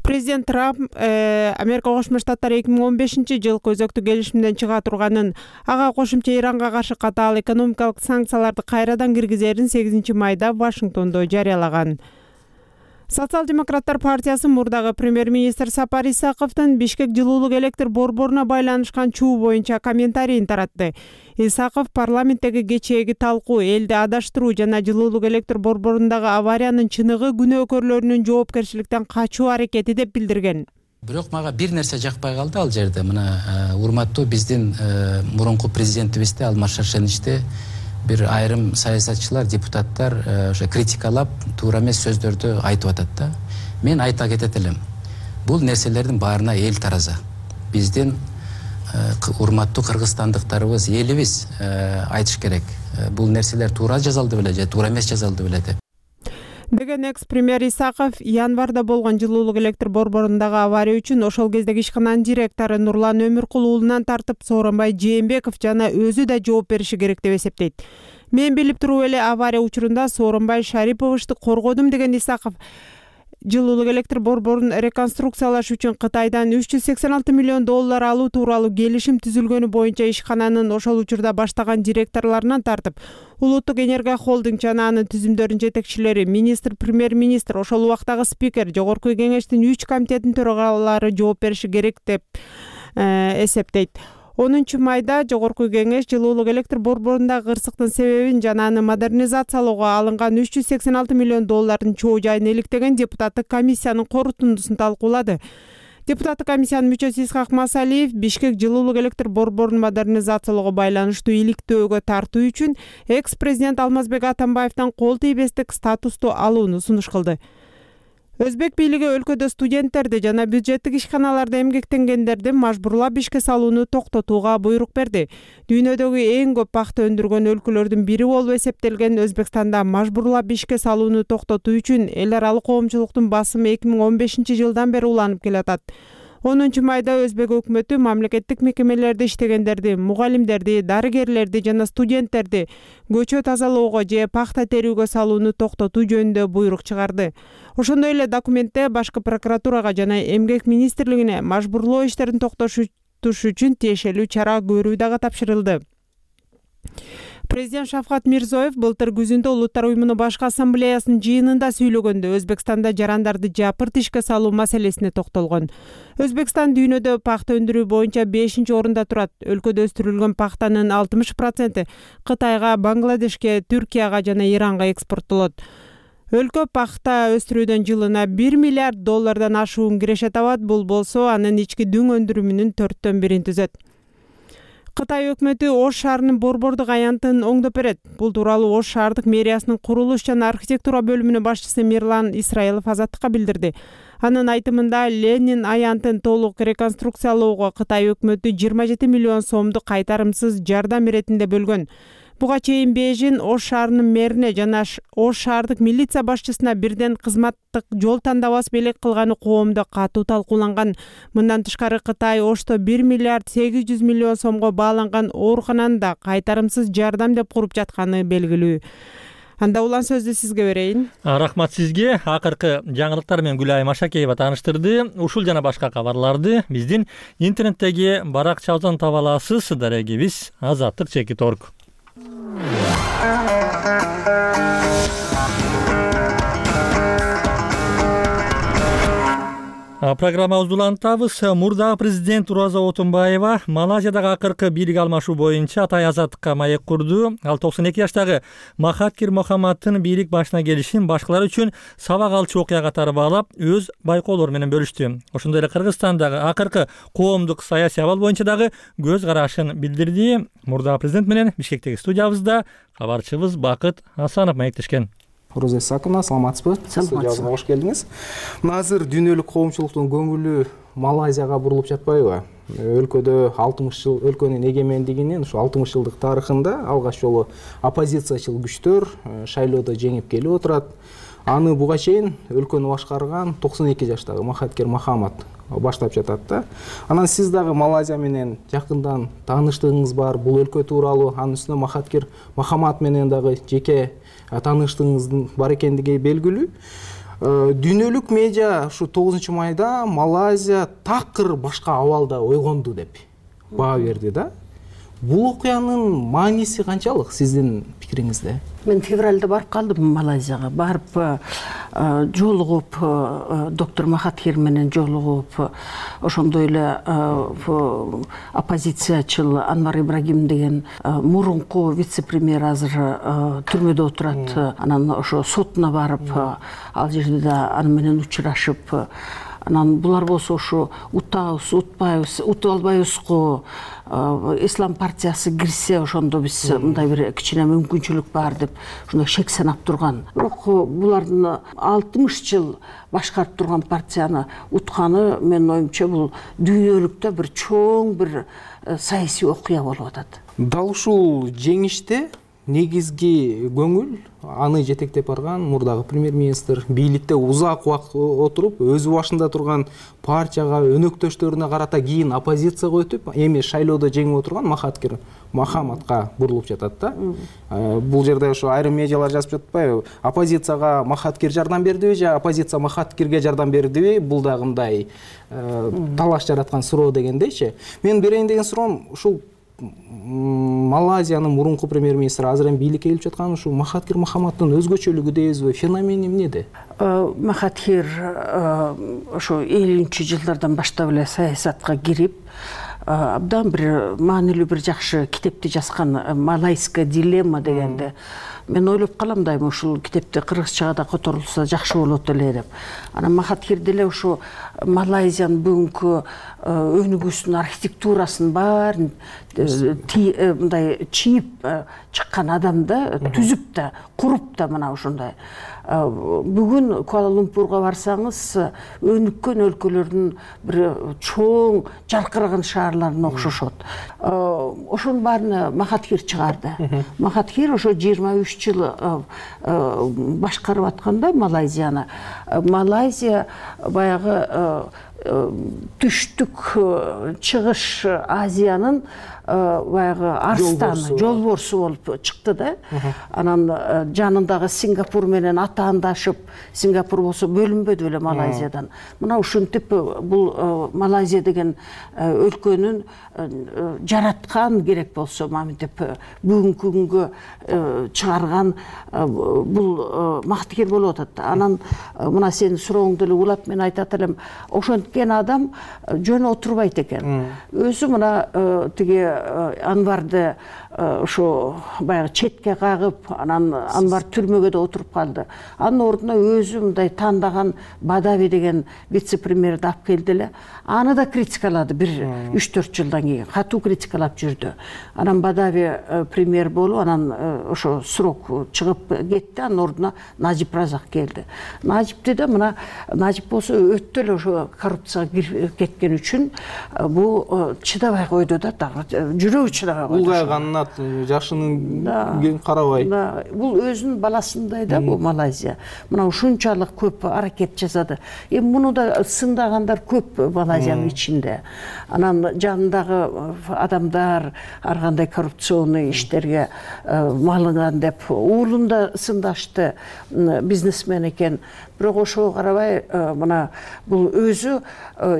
Президент Трамп Америка Кошмо Штаттары 2015-жылкы өзөктүк келишимден чыга турганын, ага кошумча Иранга каршы катаал экономикалык санкцияларды кайрадан киргизерин 8 майда Вашингтондо жарыялаган. Социал-демократтар партиясы мурдагы премьер-министр Сапар Исаковдун Бишкек жылуулук электр борборуна байланышкан чуу боюнча комментарийин таратты. Исаков парламенттеги кечээги талкуу, элди адаштыруу жана жылуулук электр борборундагы авариянын чыныгы күнөөкөрлөрүнүн жоопкерчиликтен качуу аракети деп билдирген. Бирок мага бир нерсе жакпай калды ал жерде. Мына урматтуу биздин мурунку президентибизди Алмаз Шаршеничти бир айрым саясатчылар, депутаттар ошо критикалап, туура эмес сөздөрдү айтып атат да. Мен айта кетет элем. Бул нерселердин баарына эл тараза. Биздин урматтуу кыргызстандыктарыбыз, элибиз айтыш керек. Бул нерселер туура жазалды беле же туура эмес жазалды беле деп. Деген экс-премьер Исаков январда болгон жылуулук электр борборундагы авария үчүн ошол кездеги ишкананын директору Нурлан Өмүркул уулунан тартып Сооронбай Жээнбеков жана өзү да жооп бериши керек деп эсептейт. Мен билип туруп эле авария учурунда Сооронбай Шариповичти коргодум деген Исаков жылуулук электр борборун реконструкциялаш үчүн Кытайдан $386 миллион алуу тууралуу келишим түзүлгөнү боюнча ишкананын ошол учурда баштаган директорлорунан тартып, Улуттук энергия холдинг жана анын түзүмдөрүнүн жетекчилери, министр, премьер-министр, ошол убактагы спикер, жогорку кеңештин 3 комитетинин төрагалары жооп бериши керек деп эсептейт. 10 майда жогорку кеңеш жылуулук электр борборундагы кырсыктын себебин жана аны модернизациялоого алынган $386 миллион чоо жайын иликтеген депутаттык комиссиянын корутундусун талкуулады. Депутаттык комиссиянын мүчөсү Исхак Масалиев Бишкек жылуулук электр борборун модернизациялоого байланыштуу иликтөөгө тартуу үчүн экс-президент Алмазбек Атамбаевден кол тийбестик статусту алууну сунуш кылды. Өзбек бийлиги өлкөдө студенттерди жана бюджеттик ишканаларда эмгектенгендерди мажбурлап ишке салууну токтотууга буйрук берди. Дүйнөдөгү эң көп пахта өндүргөн өлкөлөрдүн бири болуп эсептелген Өзбекстанда мажбурлап ишке салууну токтотуу үчүн эл аралык коомчулуктун басымы 2015 жылдан бери уланып келатат. 10 майда Өзбек өкмөтү мамлекеттик мекемелерде иштегендерди, мугалимдерди, дарыгерлерди жана студенттерди көчө тазалоого же пахта терүүгө салууну токтотуу жөнүндө буйрук чыгарды. Ошондой эле документте башкы прокуратурага жана эмгек министрлигине мажбурлоо иштерин токтотуш үчүн тиешелүү чара көрүү дагы тапшырылды. Президент Шавкат Мирзиёев былтыр күзүндө Улуттар уюмунун башкы ассамблеясынын жыйынында сүйлөгөндө Өзбекстанда жарандарды жапырт ишке салуу маселесине токтолгон. Өзбекстан дүйнөдө пахта өндүрүү боюнча 5-орунда турат. Өлкөдө өстүрүлгөн пахтанын 60% Кытайга, Бангладешке, Түркияга жана Иранга экспорттолот. Өлкө пахта өстүрүүдөн жылына $1 миллиард ашуун киреше табат. Бул болсо анын ички дүң өндүрүмүнүн 4/1 түзөт. Кытай өкмөтү Ош шаарынын борбордук аянтын оңдоп берет. Бул тууралуу Ош шаардык мэриясынын курулуш жана архитектура бөлүмүнүн башчысы Мирлан Исраилов Азаттыкка билдирди. Анын айтымында Ленин аянтын толук реконструкциялоого Кытай өкмөтү 27 миллион сомду кайтарымсыз жардам иретинде бөлгөн. Буга чейин Бейжин Ош шаарынын мэрине жана Ош шаардык милиция башчысына бирден кызматтык жол тандабас белек кылганы коомдо катуу талкууланган. Мындан тышкары Кытай Ошто 1 миллиард 800 миллион сомго бааланган оорукананы да кайтарымсыз жардам деп куруп жатканы белгилүү. Анда улан сөздү сизге берейин. Рахмат сизге. Акыркы жаңылыктар менен Гүлай Машакеева тааныштырды. Ушул жана башка кабарларды биздин интернеттеги баракчабыздан таба аласыз. Дарегибиз azattik.org. Программабызды улантабыз. Мурдагы президент Роза Отунбаева Малайзиядагы акыркы бийлик алмашуу боюнча Атай азаттыкка маек курду. Ал 92 жаштагы Махатхир Мохаммадтын бийлик башына келишин башкалар үчүн сабак алчу окуя катары баалап, өз байкоолору менен бөлүштү. Ошондой эле Кыргызстандагы акыркы коомдук саясий абал боюнча дагы көз карашын билдирди. Мурдагы президент менен Бишкектеги студиябызда кабарчыбыз Бакыт Асанов маектешкен. Роза Исаковна, саламатсызбы? Студиябызга кош келдиңиз. Мына азыр дүйнөлүк коомчулуктун көңүлү Малайзияга бурулуп жатпайбы? Өлкөдө 60 жыл өлкөнүн эгемендигинин ушу 60 жылдык тарыхында алгач жолу оппозициячыл күчтөр шайлоодо жеңип келип отурат. Аны буга чейин өлкөнү башкарган 92 жаштагы Махатхир Мохаммад баштап жатат да. Анан сиз дагы Малайзия менен жакындан тааныштыгыңыз бар. Бул өлкө тууралуу, анын үстүнө Махатхир Мохаммад менен дагы жеке тааныштыгыңыздын бар экендиги белгилүү. Дүйнөлүк медиа ушу 9 майда Малайзия такыр башка абалда ойгонду деп баа берди да. Бул окуянын мааниси канчалык сиздин пикириңизде? Мен февралда барып калдым Малайзияга. Барып жолугуп доктор Махатхир менен жолугуп, ошондой эле оппозициячыл Анвар Ибрагим деген мурунку вице-премьер азыр түрмөдө отурат. Анан ошо сотуна барып, ал жерде да аны менен учурашып, анан булар болсо ошо утабыз, утпайбыз, утуп албайбызго, Ислам партиясы кирсе ошондо биз мындай бир кичине мүмкүнчүлүк бар деп ошондой шек санап турган. Бирок булардын 60 жыл башкарып турган партияны утканы менин оюмча бул дүйнөлүктө бир чоң бир саясий окуя болуп атат. Дал ушул жеңиште негизги көңүл аны жетектеп барган мурдагы премьер-министр бийликте узак убакыт отуруп, өзү башында турган партияга, өнөктөштөрүнө карата кийин оппозицияга өтүп, эми шайлоодо жеңип отурган Махатхир Мохаммадка бурулуп жатат да. Бул жерде ошо айрым медиалар жазып жатпайбы? Оппозицияга Махатхир жардам бердиби же оппозиция Махатхирге жардам бердиби? Бул дагы мындай талаш жараткан суроо дегендейчи. Мен берейин деген суроом ушул Малайзиянын мурунку премьер-министри азыр эми бийликке келип жаткан ушу Махатхир Мохаммаддын өзгөчөлүгү дейбизби, феномени эмнеде? Махатхир ошо 50-жылдардан баштап эле саясатка кирип, абдан бир маанилүү бир жакшы китепти жазган, «Малайская дилемма» дегенди. Мен ойлоп калам дайыма ушул китепти кыргызчага да которулса жакшы болот эле деп. Анан Махатхир деле ушу Малайзиянын бүгүнкү өнүгүүсүнүн архитектурасын баарын мындай чийип чыккан адам да, түзүп да, куруп да мына ушундай. Бүгүн Куала-Лумпурга барсаңыз, өнүккөн өлкөлөрдүн бир чоң жаркыраган шаарларына окшошот. Ошонун баарын Махатхир чыгарды. Махатхир ошо 23 жыл башкарып атканда Малайзияны. Малайзия баягы түштүк чыгыш Азиянын баягы арстаны, жолборсу болуп чыкты да. Анан жанындагы Сингапур менен атаандашып, Сингапур болсо бөлүнбөдү эле Малайзиядан. Мына ушинтип бул Малайзия деген өлкөнүн жараткан керек болсо, маминтип бүгүнкү күнгө чыгарган бул Махатхир болуп атат. Анан мына сенин сурооңду эле улап мен айтат элем, ошенткен адам жөн отурбайт экен. Өзү мына тиги Анварды ошо баягы четке кагып, анан Анвар түрмөгө да отуруп калды. Анын ордуна өзү мындай тандаган Бадави деген вице-премьерди алып келди эле. Аны да критикалады бир 3-4 жылдан кийин. Катуу критикалап жүрдү. Анан Бадави премьер болуп, анан ошо срок чыгып кетти. Анын ордуна Нажип Разак келди. Нажипти да мына Нажип болсо өтө эле ошо коррупцияга кирип кеткен үчүн бул чыдабай койду да, жүрөгү чыдабай койду. Улгайганына жашынын кен карабай. Бул өзүнүн баласындай да бул Малайзия. Мына ушунчалык көп аракет жасады. Эми муну да сындагандар көп Малайзиянын ичинде. Анан жанындагы адамдар ар кандай коррупционный иштерге малынган деп уулун да сындашты, бизнесмен экен. Бирок ошого карабай мына бул өзү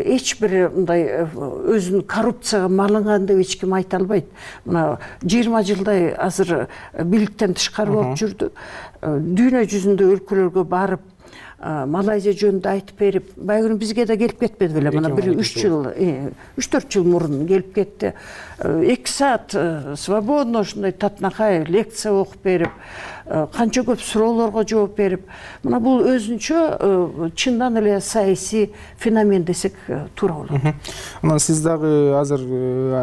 эч бир мындай өзүнүн коррупцияга малынган деп эч ким айта албайт. Мына 20 жылдай азыр бийликтен тышкары болуп жүрдү. Дүйнө жүзүндө өлкөлөргө барып Малайзия жөнүндө айтып берип, байгүнү бизге да келип кетпеди беле. Мына 3-4 жыл мурун келип кетти. 2 саат свободно ушундай татынакай лекция окуп берип, канча көп суроолорго жооп берип, мына бул өзүнчө чындан эле саясий феномен десек туура болот. Анан сиз дагы азыр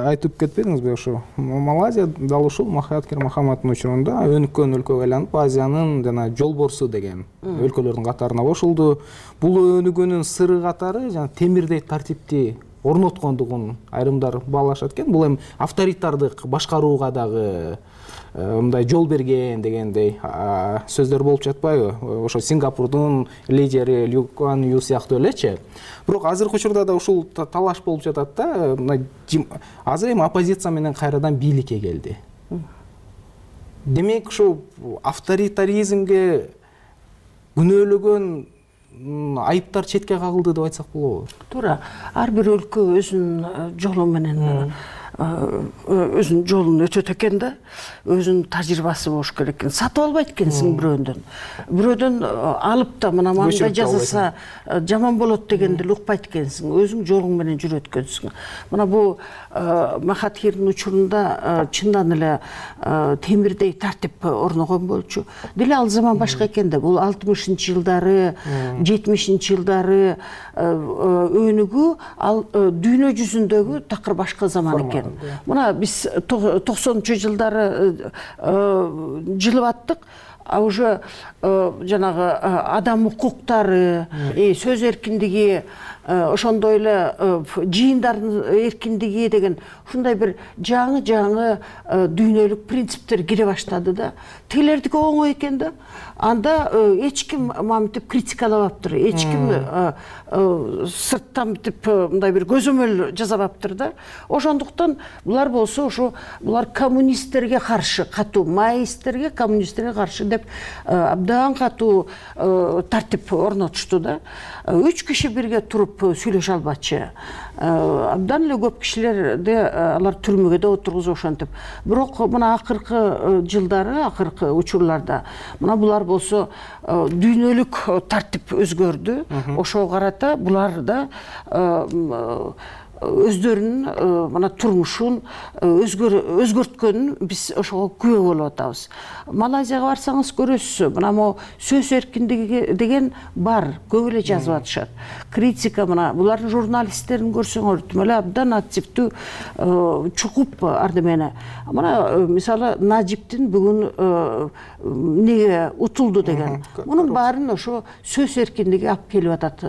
айтып кетпедиңизби, ошо Малайзия дал ушул Махатхир Мохаммаддын учурунда өнүккөн өлкөгө айланып, Азиянын жана жолборсу деген өлкөлөрдүн катарына кошулду. Бул өнүгүүнүн сыры катары жана темирдей тартипти орноткондугун айрымдар баалашат экен. Бул эми авторитардык башкарууга дагы мындай жол берген дегендей сөздөр болуп жатпайбы? Ошо Сингапурдун лидери Ли Куан Ю сыяктуу элечи. Бирок азыркы учурда да ушул талаш болуп жатат да, азыр эми оппозиция менен кайрадан бийликке келди. Демек ушу авторитаризмге күнөөлөгөн айыптар четке кагылды деп айтсак болобу? Туура. Ар бир өлкө өзүнүн жолу менен өзүнүн жолун өтөт экен да, өзүнүн тажрыйбасы болуш керек экен. Сатып албайт экенсиң бирөөдөн алып да мына мындай жасаса жаман болот дегенди укпайт экенсиң. Өзүң жолуң менен жүрөт экенсиң. Мына бул Махатхирдин учурунда чындан эле темирдей тартип орногон болчу. Деле ал заман башка экен да. Бул 60-жылдары, 70-жылдары өнүгүү ал дүйнө жүзүндөгү такыр башка заман экен. Мына биз 90-жылдары жылып аттык. А уже жанагы адам укуктары, сөз эркиндиги, ошондой эле жыйындардын эркиндиги деген ушундай бир жаңы дүйнөлүк принциптер кире баштады да. Тилердики оңой экен да. Анда эч ким мамтип критикалабаптыр, эч ким сырттан мынтип мындай бир көзөмөл жасабаптыр да. Ошондуктан булар болсо ошо булар коммунисттерге каршы, катуу маоисттерге, коммунисттерге каршы деп абдан катуу тартип орнотушту да. 3 киши бирге туруп сүйлөшө албачы. Абдан эле көп кишилерди алар түрмөгө да отургузуп ошентип. Бирок мына акыркы жылдары, акыркы учурларда мына булар болсо дүйнөлүк тартип өзгөрдү. Ошого карата булар да өздөрүнүн мына турмушун өзгөрткөнүн биз ошого күбө болуп атабыз. Малайзияга барсаңыз көрөсүз, мына могу сөз эркиндиги деген бар, көп эле жазып атышат. Критика мына булардын журналисттерин көрсөңөр тим эле абдан активдүү чукуп ардемени. Мына мисалы Нажиптин бүгүн неге утулду деген. Мунун баарын ошо сөз эркиндиги алып келип атат.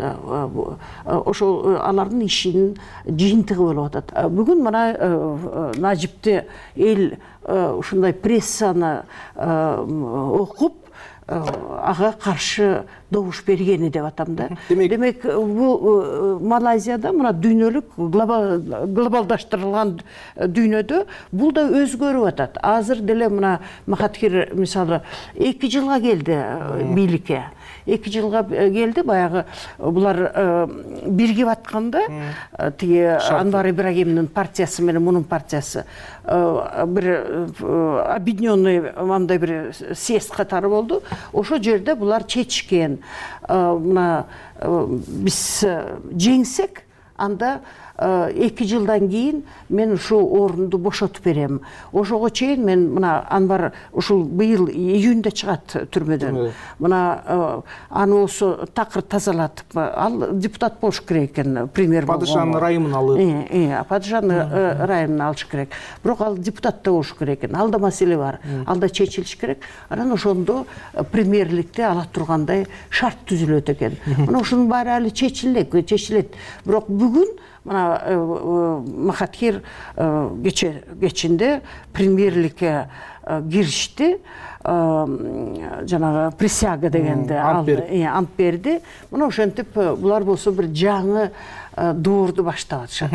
Ошол алардын ишинин жыйынтыгы болуп атат. Бүгүн мына Нажипти эл ушундай прессаны окуп ага каршы добуш бергени деп атам да. Демек бул Малайзияда мына дүйнөлүк глобалдаштырылган дүйнөдө бул да өзгөрүп атат. Азыр деле мына Махатхир мисалы 2 жылга келди бийликке. 2 жылга келди, баягы булар биригип атканда тиги Анвар Ибрагимдин партиясы менен мунун партиясы бир объединенный мындай бир съезд катары болду. Ошол жерде булар чечишкен. Мына биз жеңсек, анда 2 жылдан кийин мен ушул орунду бошотуп берем. Ошого чейин мен мына Анвар ушул быйыл июньда чыгат түрмөдөн. Мына аны болсо такыр тазалатып, ал депутат болуш керек экен, премьер болгон. Падышанын райымын алып. Падышанын райымын алыш керек. Бирок ал депутат да болуш керек экен. Ал да маселе бар. Ал да чечилиш керек. Анан ошондо премьерликте ала тургандай шарт түзүлөт экен. Мына ушунун баары али чечилет. Бирок бүгүн мына Махатхир кечинде премьерликке киришти, жанагы присяга дегенди ант берди. Мына ошентип булар болсо бир жаңы доорду баштап атышат.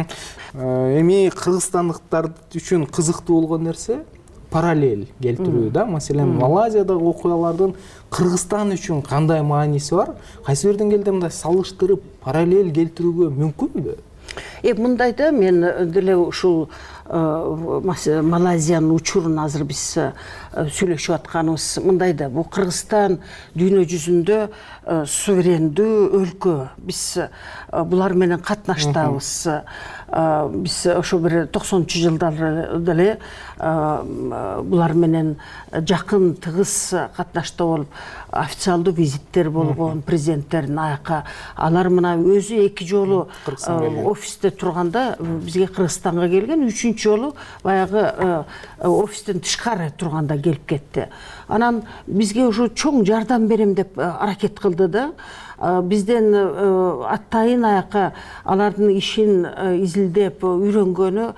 Эми кыргызстандыктар үчүн кызыктуу болгон нерсе параллель келтирүү да. Маселен, Малайзиядагы окуялардын Кыргызстан үчүн кандай мааниси бар? Кайсы бирден келде мындай салыштырып параллель келтирүүгө мүмкүнбү? Мындайда мен деле ушул Малайзиянын учурун азыр биз сүйлөшүп атканыбыз мындайда. Бул Кыргызстан дүйнө жүзүндө суверендүү өлкө. Биз булар менен катнаштабыз. Биз ошо бир 90-чы жылдары деле булар менен жакын тыгыз катнашта болуп, официалдуу визиттер болгон президенттердин аяка. Алар мына өзү 2 жолу офисте турганда бизге Кыргызстанга келген, 3-чү жолу баягы офистен тышкары турганда келип кетти. Анан бизге ушу чоң жардам берем деп аракет кылды да. Бизден аттайын аяка алардын ишин изилдеп үйрөнгөнү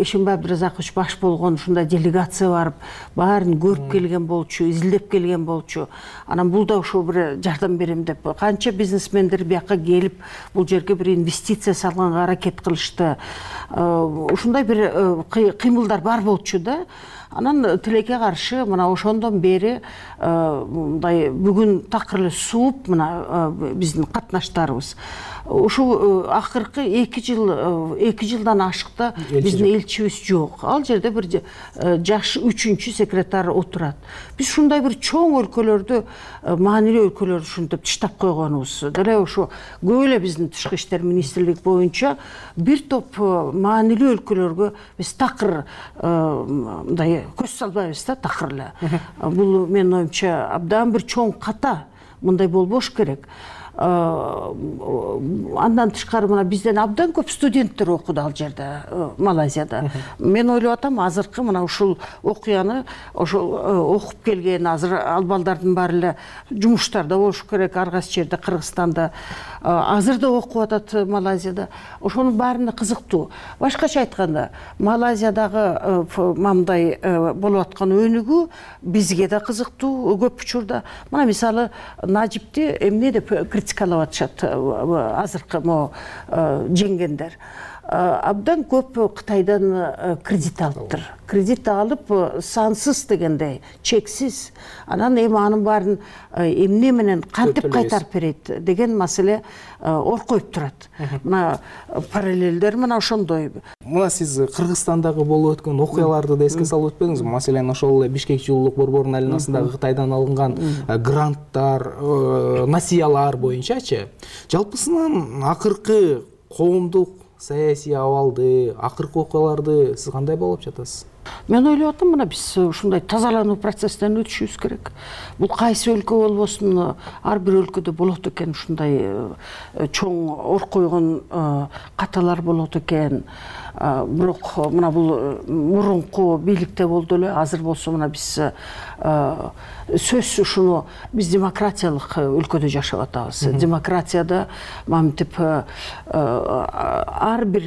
Эшимбай Абдыразакович баш болгон ушундай делегация барып, баарын көрүп келген болчу, изилдеп келген болчу. Анан бул да ошо бир жардам берем деп канча бизнесмендер бияка келип, бул жерге бир инвестиция салганга аракет кылышты. Ушундай бир кыймылдар бар болчу да. Анан тилекке каршы мына ошондон бери мындай бүгүн такыр эле сууп мына биздин катнаштарыбыз. Ушул акыркы 2 жылдан ашыкта биздин элчибиз жок. Ал жерде бир жаш 3-чү секретарь отурат. Биз ушундай бир чоң өлкөлөрдү, маанилүү өлкөлөрдү ушинтип тыштап койгонубуз. Деле ошо көп эле биздин тышкы иштер министрлик боюнча бир топ маанилүү өлкөлөргө биз такыр мындай көз салбайбыз да, такыр эле. Бул менин оюмча абдан бир чоң ката, мындай болбош керек. Андан тышкары мына бизден абдан көп студенттер окуду ал жерде, Малайзияда. Мен ойлоп атам, азыркы мына ушул окуяны ошол окуп келген азыр ал балдардын баары эле жумуштарда болуш керек, ар кайсы жерде, Кыргызстанда, азыр да окуп атат Малайзияда. Ошонун баарына кызыктуу. Башкача айтканда, Малайзиядагы мындай болуп аткан өнүгүү бизге да кызыктуу көп учурда. Мына мисалы Нажипти эмне деп критикалап атышат азыркы жеңгендер. Абдан көп Кытайдан кредит алыптыр. Кредит алып сансыз дегендей, чексиз. Анан эми анын баарын эмне менен кантип кайтарып берет деген маселе ор коюп турат. Мына параллелдер мына ошондой. Мына сиз Кыргызстандагы болуп өткөн окуяларды да эске салып өтпөдүңүзбү? Маселен, ошол эле Бишкек жылуулук борборунун айланасындагы Кытайдан алынган гранттар, насыялар боюнчачы. Жалпысынан акыркы коомдук саясий абалды, акыркы окуяларды сиз кандай баалап жатасыз? Мен ойлоп атам, мына биз ушундай тазалануу процесстен өтүшүбүз керек. Бул кайсы өлкө болбосун, ар бир өлкөдө болот экен ушундай чоң ор койгон каталар болот экен. Бирок мына бул мурунку бийликте болду эле, азыр болсо мына биз сөзсүз ушуну биз демократиялык өлкөдө жашап атабыз. Демократияда мамтип ар бир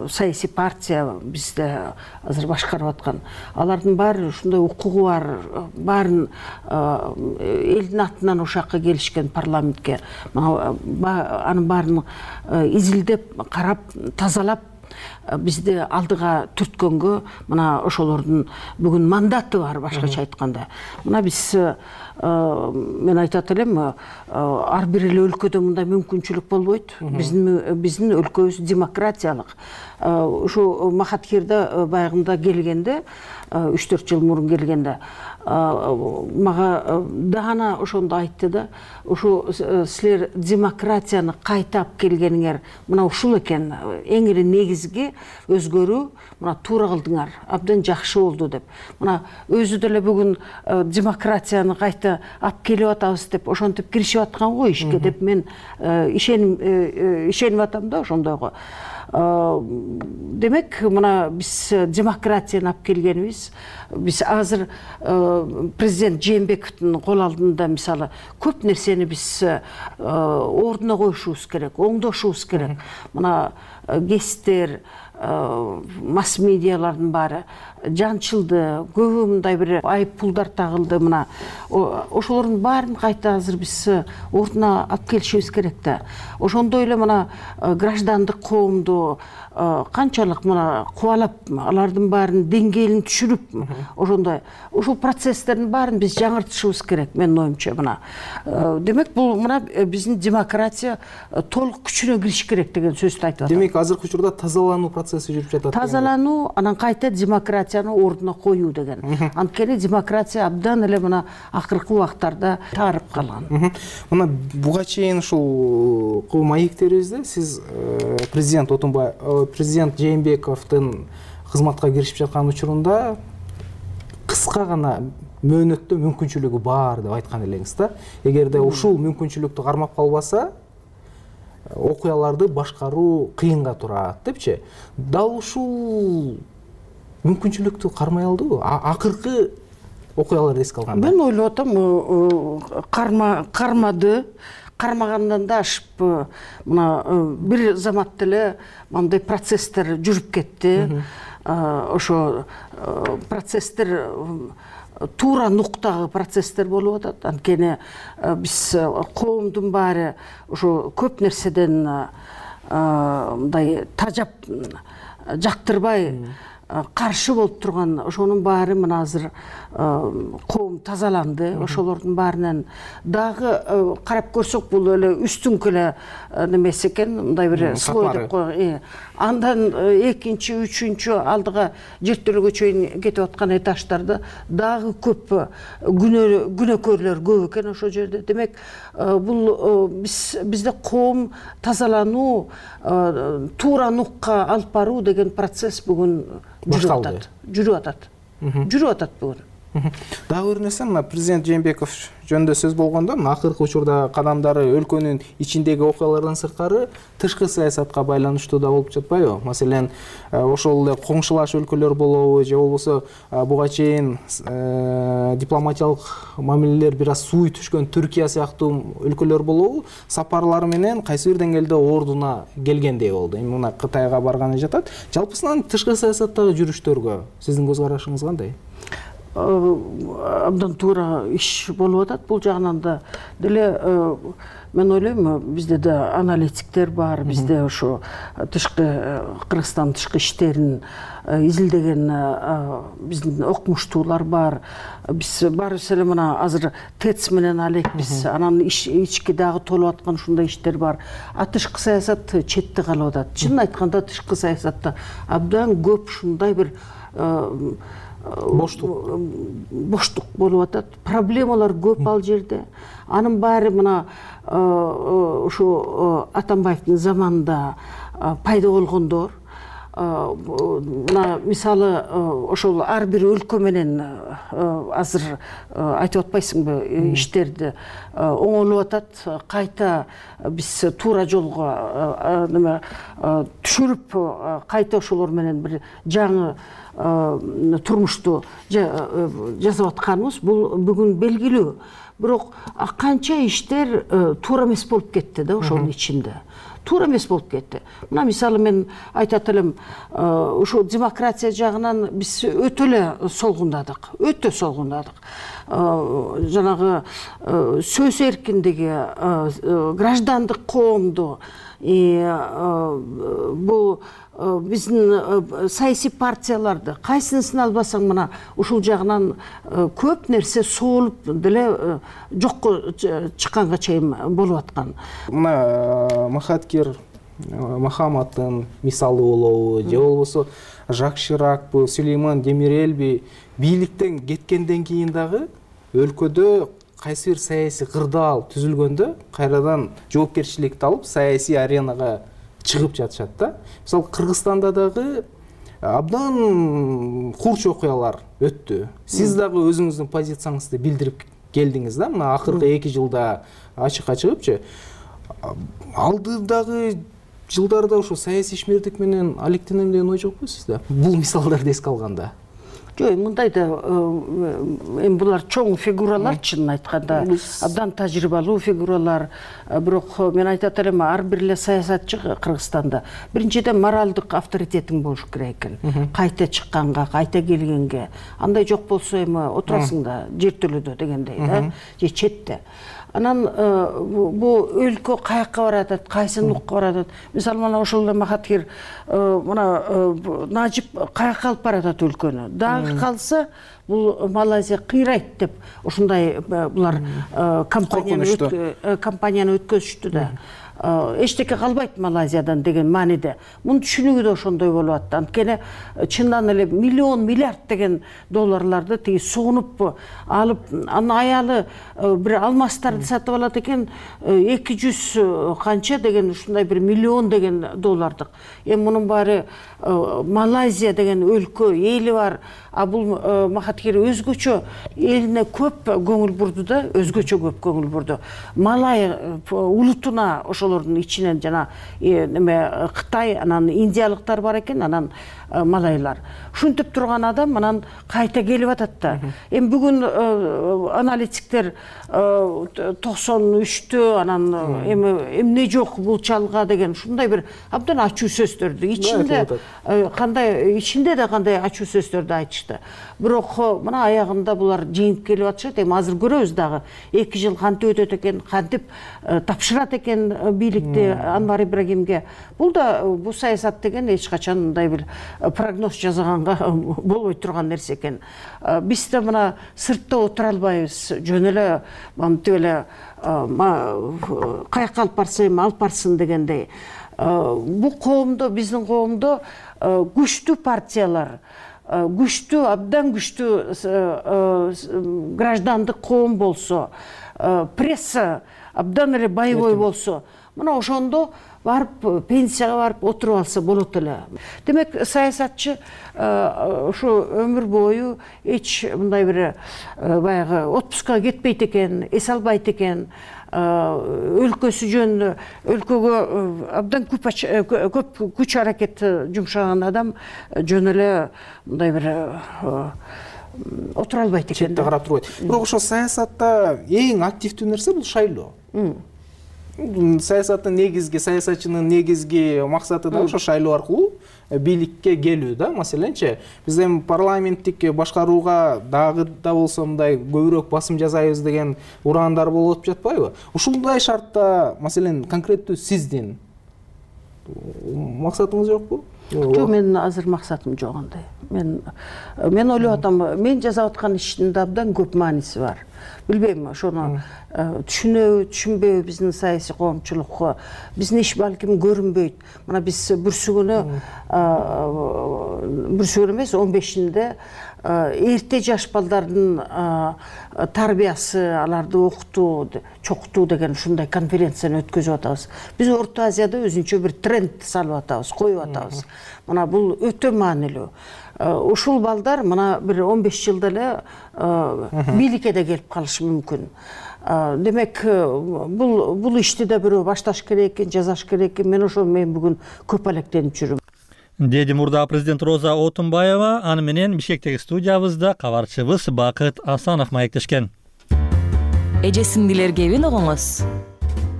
саясий партия бизде азыр башкарып аткан. Алардын баары ушундай укугу бар, баарын элдин атынан ушакка келишкен парламентке. Анын баарын изилдеп, карап, тазалап бизди алдыга түрткөнгө мына ошолордун бүгүн мандаты бар, башкача айтканда. Мына биз мен айтат элем, ар бир эле өлкөдө мындай мүмкүнчүлүк болбойт. Биздин өлкөбүз демократиялык. Ушу Махатхирда баягында келгенде, 3-4 жыл мурун келгенде, мага даана ошондо айтты да, ушу силер демократияны кайтап келгениңер мына ушул экен, эң эле негизги өзгөрүү, мына туура кылдыңар, абдан жакшы болду деп. Мына өзү деле бүгүн демократияны кайта алып келип атабыз деп, ошентип киришип аткан го ишке деп мен ишенип атам да ошондойго. Демек, мына биз демократияны алып келгенибиз, биз азыр президент Жээнбековдун кол алдында мисалы көп нерсени биз ордуна коюшубуз керек, оңдошубуз керек. Мына гесттер, масс медиалардын баары жанчылды, көбү мындай бир айып пулдар тагылды. Мына ошолордун баарын кайта азыр биз ордуна алып келишибиз керек да. Ошондой эле мына граждандык коомду канчалык мына кубалап, алардын баарын деңгээлин түшүрүп, ошондой ушул процесстердин баарын биз жаңыртышыбыз керек, менин оюмча. Мына демек, бул мына биздин демократия толук күчүнө кириш керек деген сөздү айтып атам. Демек, азыркы учурда тазалануу процесси жүрүп жатат. Тазалануу, анан кайта демократияны ордуна коюу деген. Анткени демократия абдан эле мына акыркы убактарда таарып калган. Мына буга чейин ушул маектерибизде сиз президент Жээнбековдун кызматка киришип жаткан учурунда кыска гана мөөнөттө мүмкүнчүлүгү бар деп айткан элеңиз да. Эгерде ушул мүмкүнчүлүктү кармап калбаса, окуяларды башкаруу кыйынга турат депчи. Дал ушул мүмкүнчүлүктү кармай алдыбы? Акыркы окуяларды эске алганда. Мен ойлоп атам, кармады. Кармагандан да ашып, мына бир заматта эле мындай процесстер жүрүп кетти. Ошо процесстер туура нуктагы процесстер болуп атат. Анткени биз коомдун баары ошо көп нерседен мындай тажап, жактырбай каршы болуп турган ошонун баары мына азыр коом тазаланды. Ошолордун баарынан дагы карап көрсөк, бул эле үстүңкү эле немеси экен, мындай бир слой деп коелу. Андан экинчи, үчүнчү алдыга жертөлөгө чейин кетип аткан этаждарда дагы көп күнөөкөрлөр көп экен ошол жерде. Демек, бул бизде коом тазалануу, туура нукка алып баруу деген процесс бүгүн жүрүп атат бүгүн. Дагы бир нерсе, мына президент Жээнбеков жөнүндө сөз болгондо, акыркы учурда кадамдары өлкөнүн ичиндеги окуялардан сырткары тышкы саясатка байланыштуу да болуп жатпайбы? Маселен, ошол эле коңшулаш өлкөлөр болобу, же болбосо буга чейин дипломатиялык мамилелер бир аз сууй түшкөн Түркия сыяктуу өлкөлөр болобу, сапарлары менен кайсы бир деңгээлде ордуна келгендей болду. Эми мына Кытайга барганы жатат. Жалпысынан тышкы саясаттагы жүрүштөргө сиздин көз карашыңыз кандай? Абдан туура иш болуп атат. Бул жагынан да деле мен ойлойм, бизде да аналитиктер бар, бизде ошо Кыргызстан тышкы иштерин изилдеген биздин окумуштуулар бар. Биз баарыбыз эле мына азыр ТЭЦ менен алекпиз, анан ички дагы толуп аткан ушундай иштер бар. Тышкы саясат четте калып атат. Чынын айтканда, тышкы саясатта абдан көп ушундай бир боштук болуп атат. Проблемалар көп ал жерде. Анын баары мына ушу Атамбаевдин заманында пайда болгондор, мына мисалы ошол ар бир өлкө менен азыр айтып атпайсыңбы иштерди оңолуп атат, кайта биз туура жолго неме түшүрүп кайта ошолор менен бир жаңы турмушту жасап атканыбыз бул бүгүн белгилүү. Бирок канча иштер туура эмес болуп кетти да ошонун ичинде. Туура эмес болуп кетти. Мына мисалы мен айтат элем, ушул демократия жагынан биз өтө эле солгундадык, өтө солгундадык. Жанагы сөз эркиндиги, граждандык коомду, бул биздин саясий партияларды кайсынысын албасаң мына ушул жагынан көп нерсе соолуп деле жокко чыкканга чейин болуп аткан. Мына Махаткир Махаматтын мисалы болобу же болбосо Жак Ширакпы, Сулейман Демирелби бийликтен кеткенден кийин дагы өлкөдө кайсы бир саясий кырдаал түзүлгөндө кайрадан жоопкерчиликти алып саясий аренага чыгып жатышат да. Мисалы Кыргызстанда дагы абдан курч окуялар өттү. Сиз дагы өзүңүздүн позицияңызды билдирип келдиңиз да, мына акыркы 2 жылда ачыкка чыгыпчы. Алдыдагы жылдарда ошо саясий ишмердик менен алектенем деген ой жокпу сизде? Бул мисалдарды эске алганда. Жок, мындай да эми булар чоң фигуралар, чынын айтканда, абдан тажрыйбалуу фигуралар. Бирок мен айтат элем, ар бир эле саясатчы Кыргызстанда биринчиден моралдык авторитетиң болуш керек экен. Кайта чыкканга, кайта келгенге. Андай жок болсо эми отурасың да жер төлөдө дегендей да, же четте. Анан бул өлкө каякка баратат, кайсы нукка баратат. Мисалы мына ошол Махаткир мына Нажип каякка алып баратат өлкөнү. Дагы калса бул Малайзия кыйрайт деп ушундай булар кампанияны өткөзүштү да. Эчтеке калбайт Малайзиядан деген мааниде. Мунун түшүнүгү да ошондой болуп атты. Анткени чындан эле миллион миллиард деген долларларды тиги согунуп алып, анын аялы бир алмастарды сатып алат экен, 200 канча деген ушундай бир миллион деген доллардык. Эми мунун баары Малайзия деген өлкө, эли бар. А бул Махаткир өзгөчө элине көп көңүл бурду да, өзгөчө көп көңүл бурду. Малай улутуна ошолордун ичинен жана неме Кытай, анан индиялыктар бар экен, анан малайлар. Ушинтип турган адам анан кайта келип атат да. Эми бүгүн аналитиктер 93-тө анан эми эмне жок бул чалга деген ушундай бир абдан ачуу сөздөрдү ичинде ичинде да кандай ачуу сөздөрдү айтышты. Бирок мына аягында булар жеңип келип атышат. Эми азыр көрөбүз дагы 2 жыл кантип өтөт экен, кантип тапшырат экен бийликти Анвар Ибрагимге. Бул да бул саясат деген эч качан мындай бир прогноз жасаганга болбой турган нерсе экен. Биз да мына сыртта отура албайбыз. Жөн эле мынтип эле каякка алып барса эми алып барсын дегендей. Бул коомдо, биздин коомдо күчтүү партиялар, күчтүү, абдан күчтүү граждандык коом болсо, пресса абдан эле боевой болсо, мына ошондо барып пенсияга барып отуруп алса болот эле. Демек саясатчы ушу өмүр бою эч мындай бир баягы отпускка кетпейт экен, эс албайт экен. Өлкөсү жөнүндө өлкөгө абдан көп күч аракет жумшаган адам жөн эле мындай бир отура албайт экен. Четте карап турбайт. Бирок ошо саясатта эң активдүү нерсе бул шайлоо. Саясаттын негизги, саясатчынын негизги максаты да ошо шайлоо аркылуу бийликке келүү да. Маселенчи, биз эми парламенттик башкарууга дагы да болсо мындай көбүрөөк басым жасайбыз деген ураандар болуп жатпайбы? Ушундай шартта, маселен, конкреттүү сиздин максатыңыз жокпу? Жок, менин азыр максатым жок андай. Мен ойлоп атам, мен жасап аткан иштин абдан көп мааниси бар. Билбейм, ошону түшүнөбү, түшүнбөйбү биздин саясий коомчулукка. Биздин иш балким көрүнбөйт. Мына биз бүрсүгүнө бүрсүгөр эмес 15-inde эрте жаш балдардын тарбиясы, аларды окутуу, чокутуу деген ушундай конференцияны өткөзүп атабыз. Биз Орто Азияда өзүнчө бир тренд салып атабыз, коюп атабыз. Мына бул өтө маанилүү. Ушул балдар мына бир 15 жылда эле бийликке да келип калышы мүмкүн. Демек, бул ишти да бирөө башташ керек экен, жасаш керек экен. Мен ошол менен бүгүн көп алектенип жүрүм. Деди мурдагы президент Роза Отунбаева, аны менен Бишкектеги студиябызда кабарчыбыз Бакыт Асанов маектешкен. Эже сиңдилер кебин угуңуз.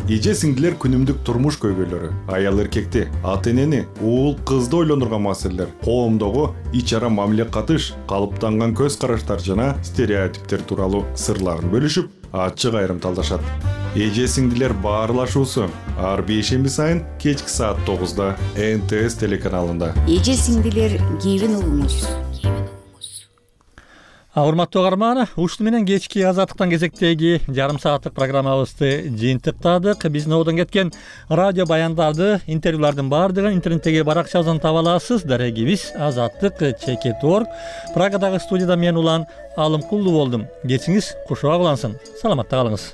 Эже сиңдилер күнүмдүк турмуш көйгөйлөрү, аял эркекти, ата энени, уул кызды ойлондурган маселелер, коомдогу ич ара мамиле катыш, калыптанган көз караштар жана стереотиптер тууралуу сырларын бөлүшүп, ачык айрым талдашат. Эже сиңдилер баарлашуусу ар бейшемби сайын кечки саат 9-да НТС телеканалында. Эже сиңдилер кебин угуңуз. Урматтуу угарман, ушуну менен кечки Азаттыктан кезектеги жарым сааттык программабызды жыйынтыктадык. Биздин одон кеткен радио баяндарды, интервьюлардын баардыгын интернеттеги баракчабыздан таба аласыз. Дарегибиз azattik.org. Прагадагы студияда мен Улан Алымкулду болдум. Кечиңиз кушуак улансын. Саламатта калыңыз.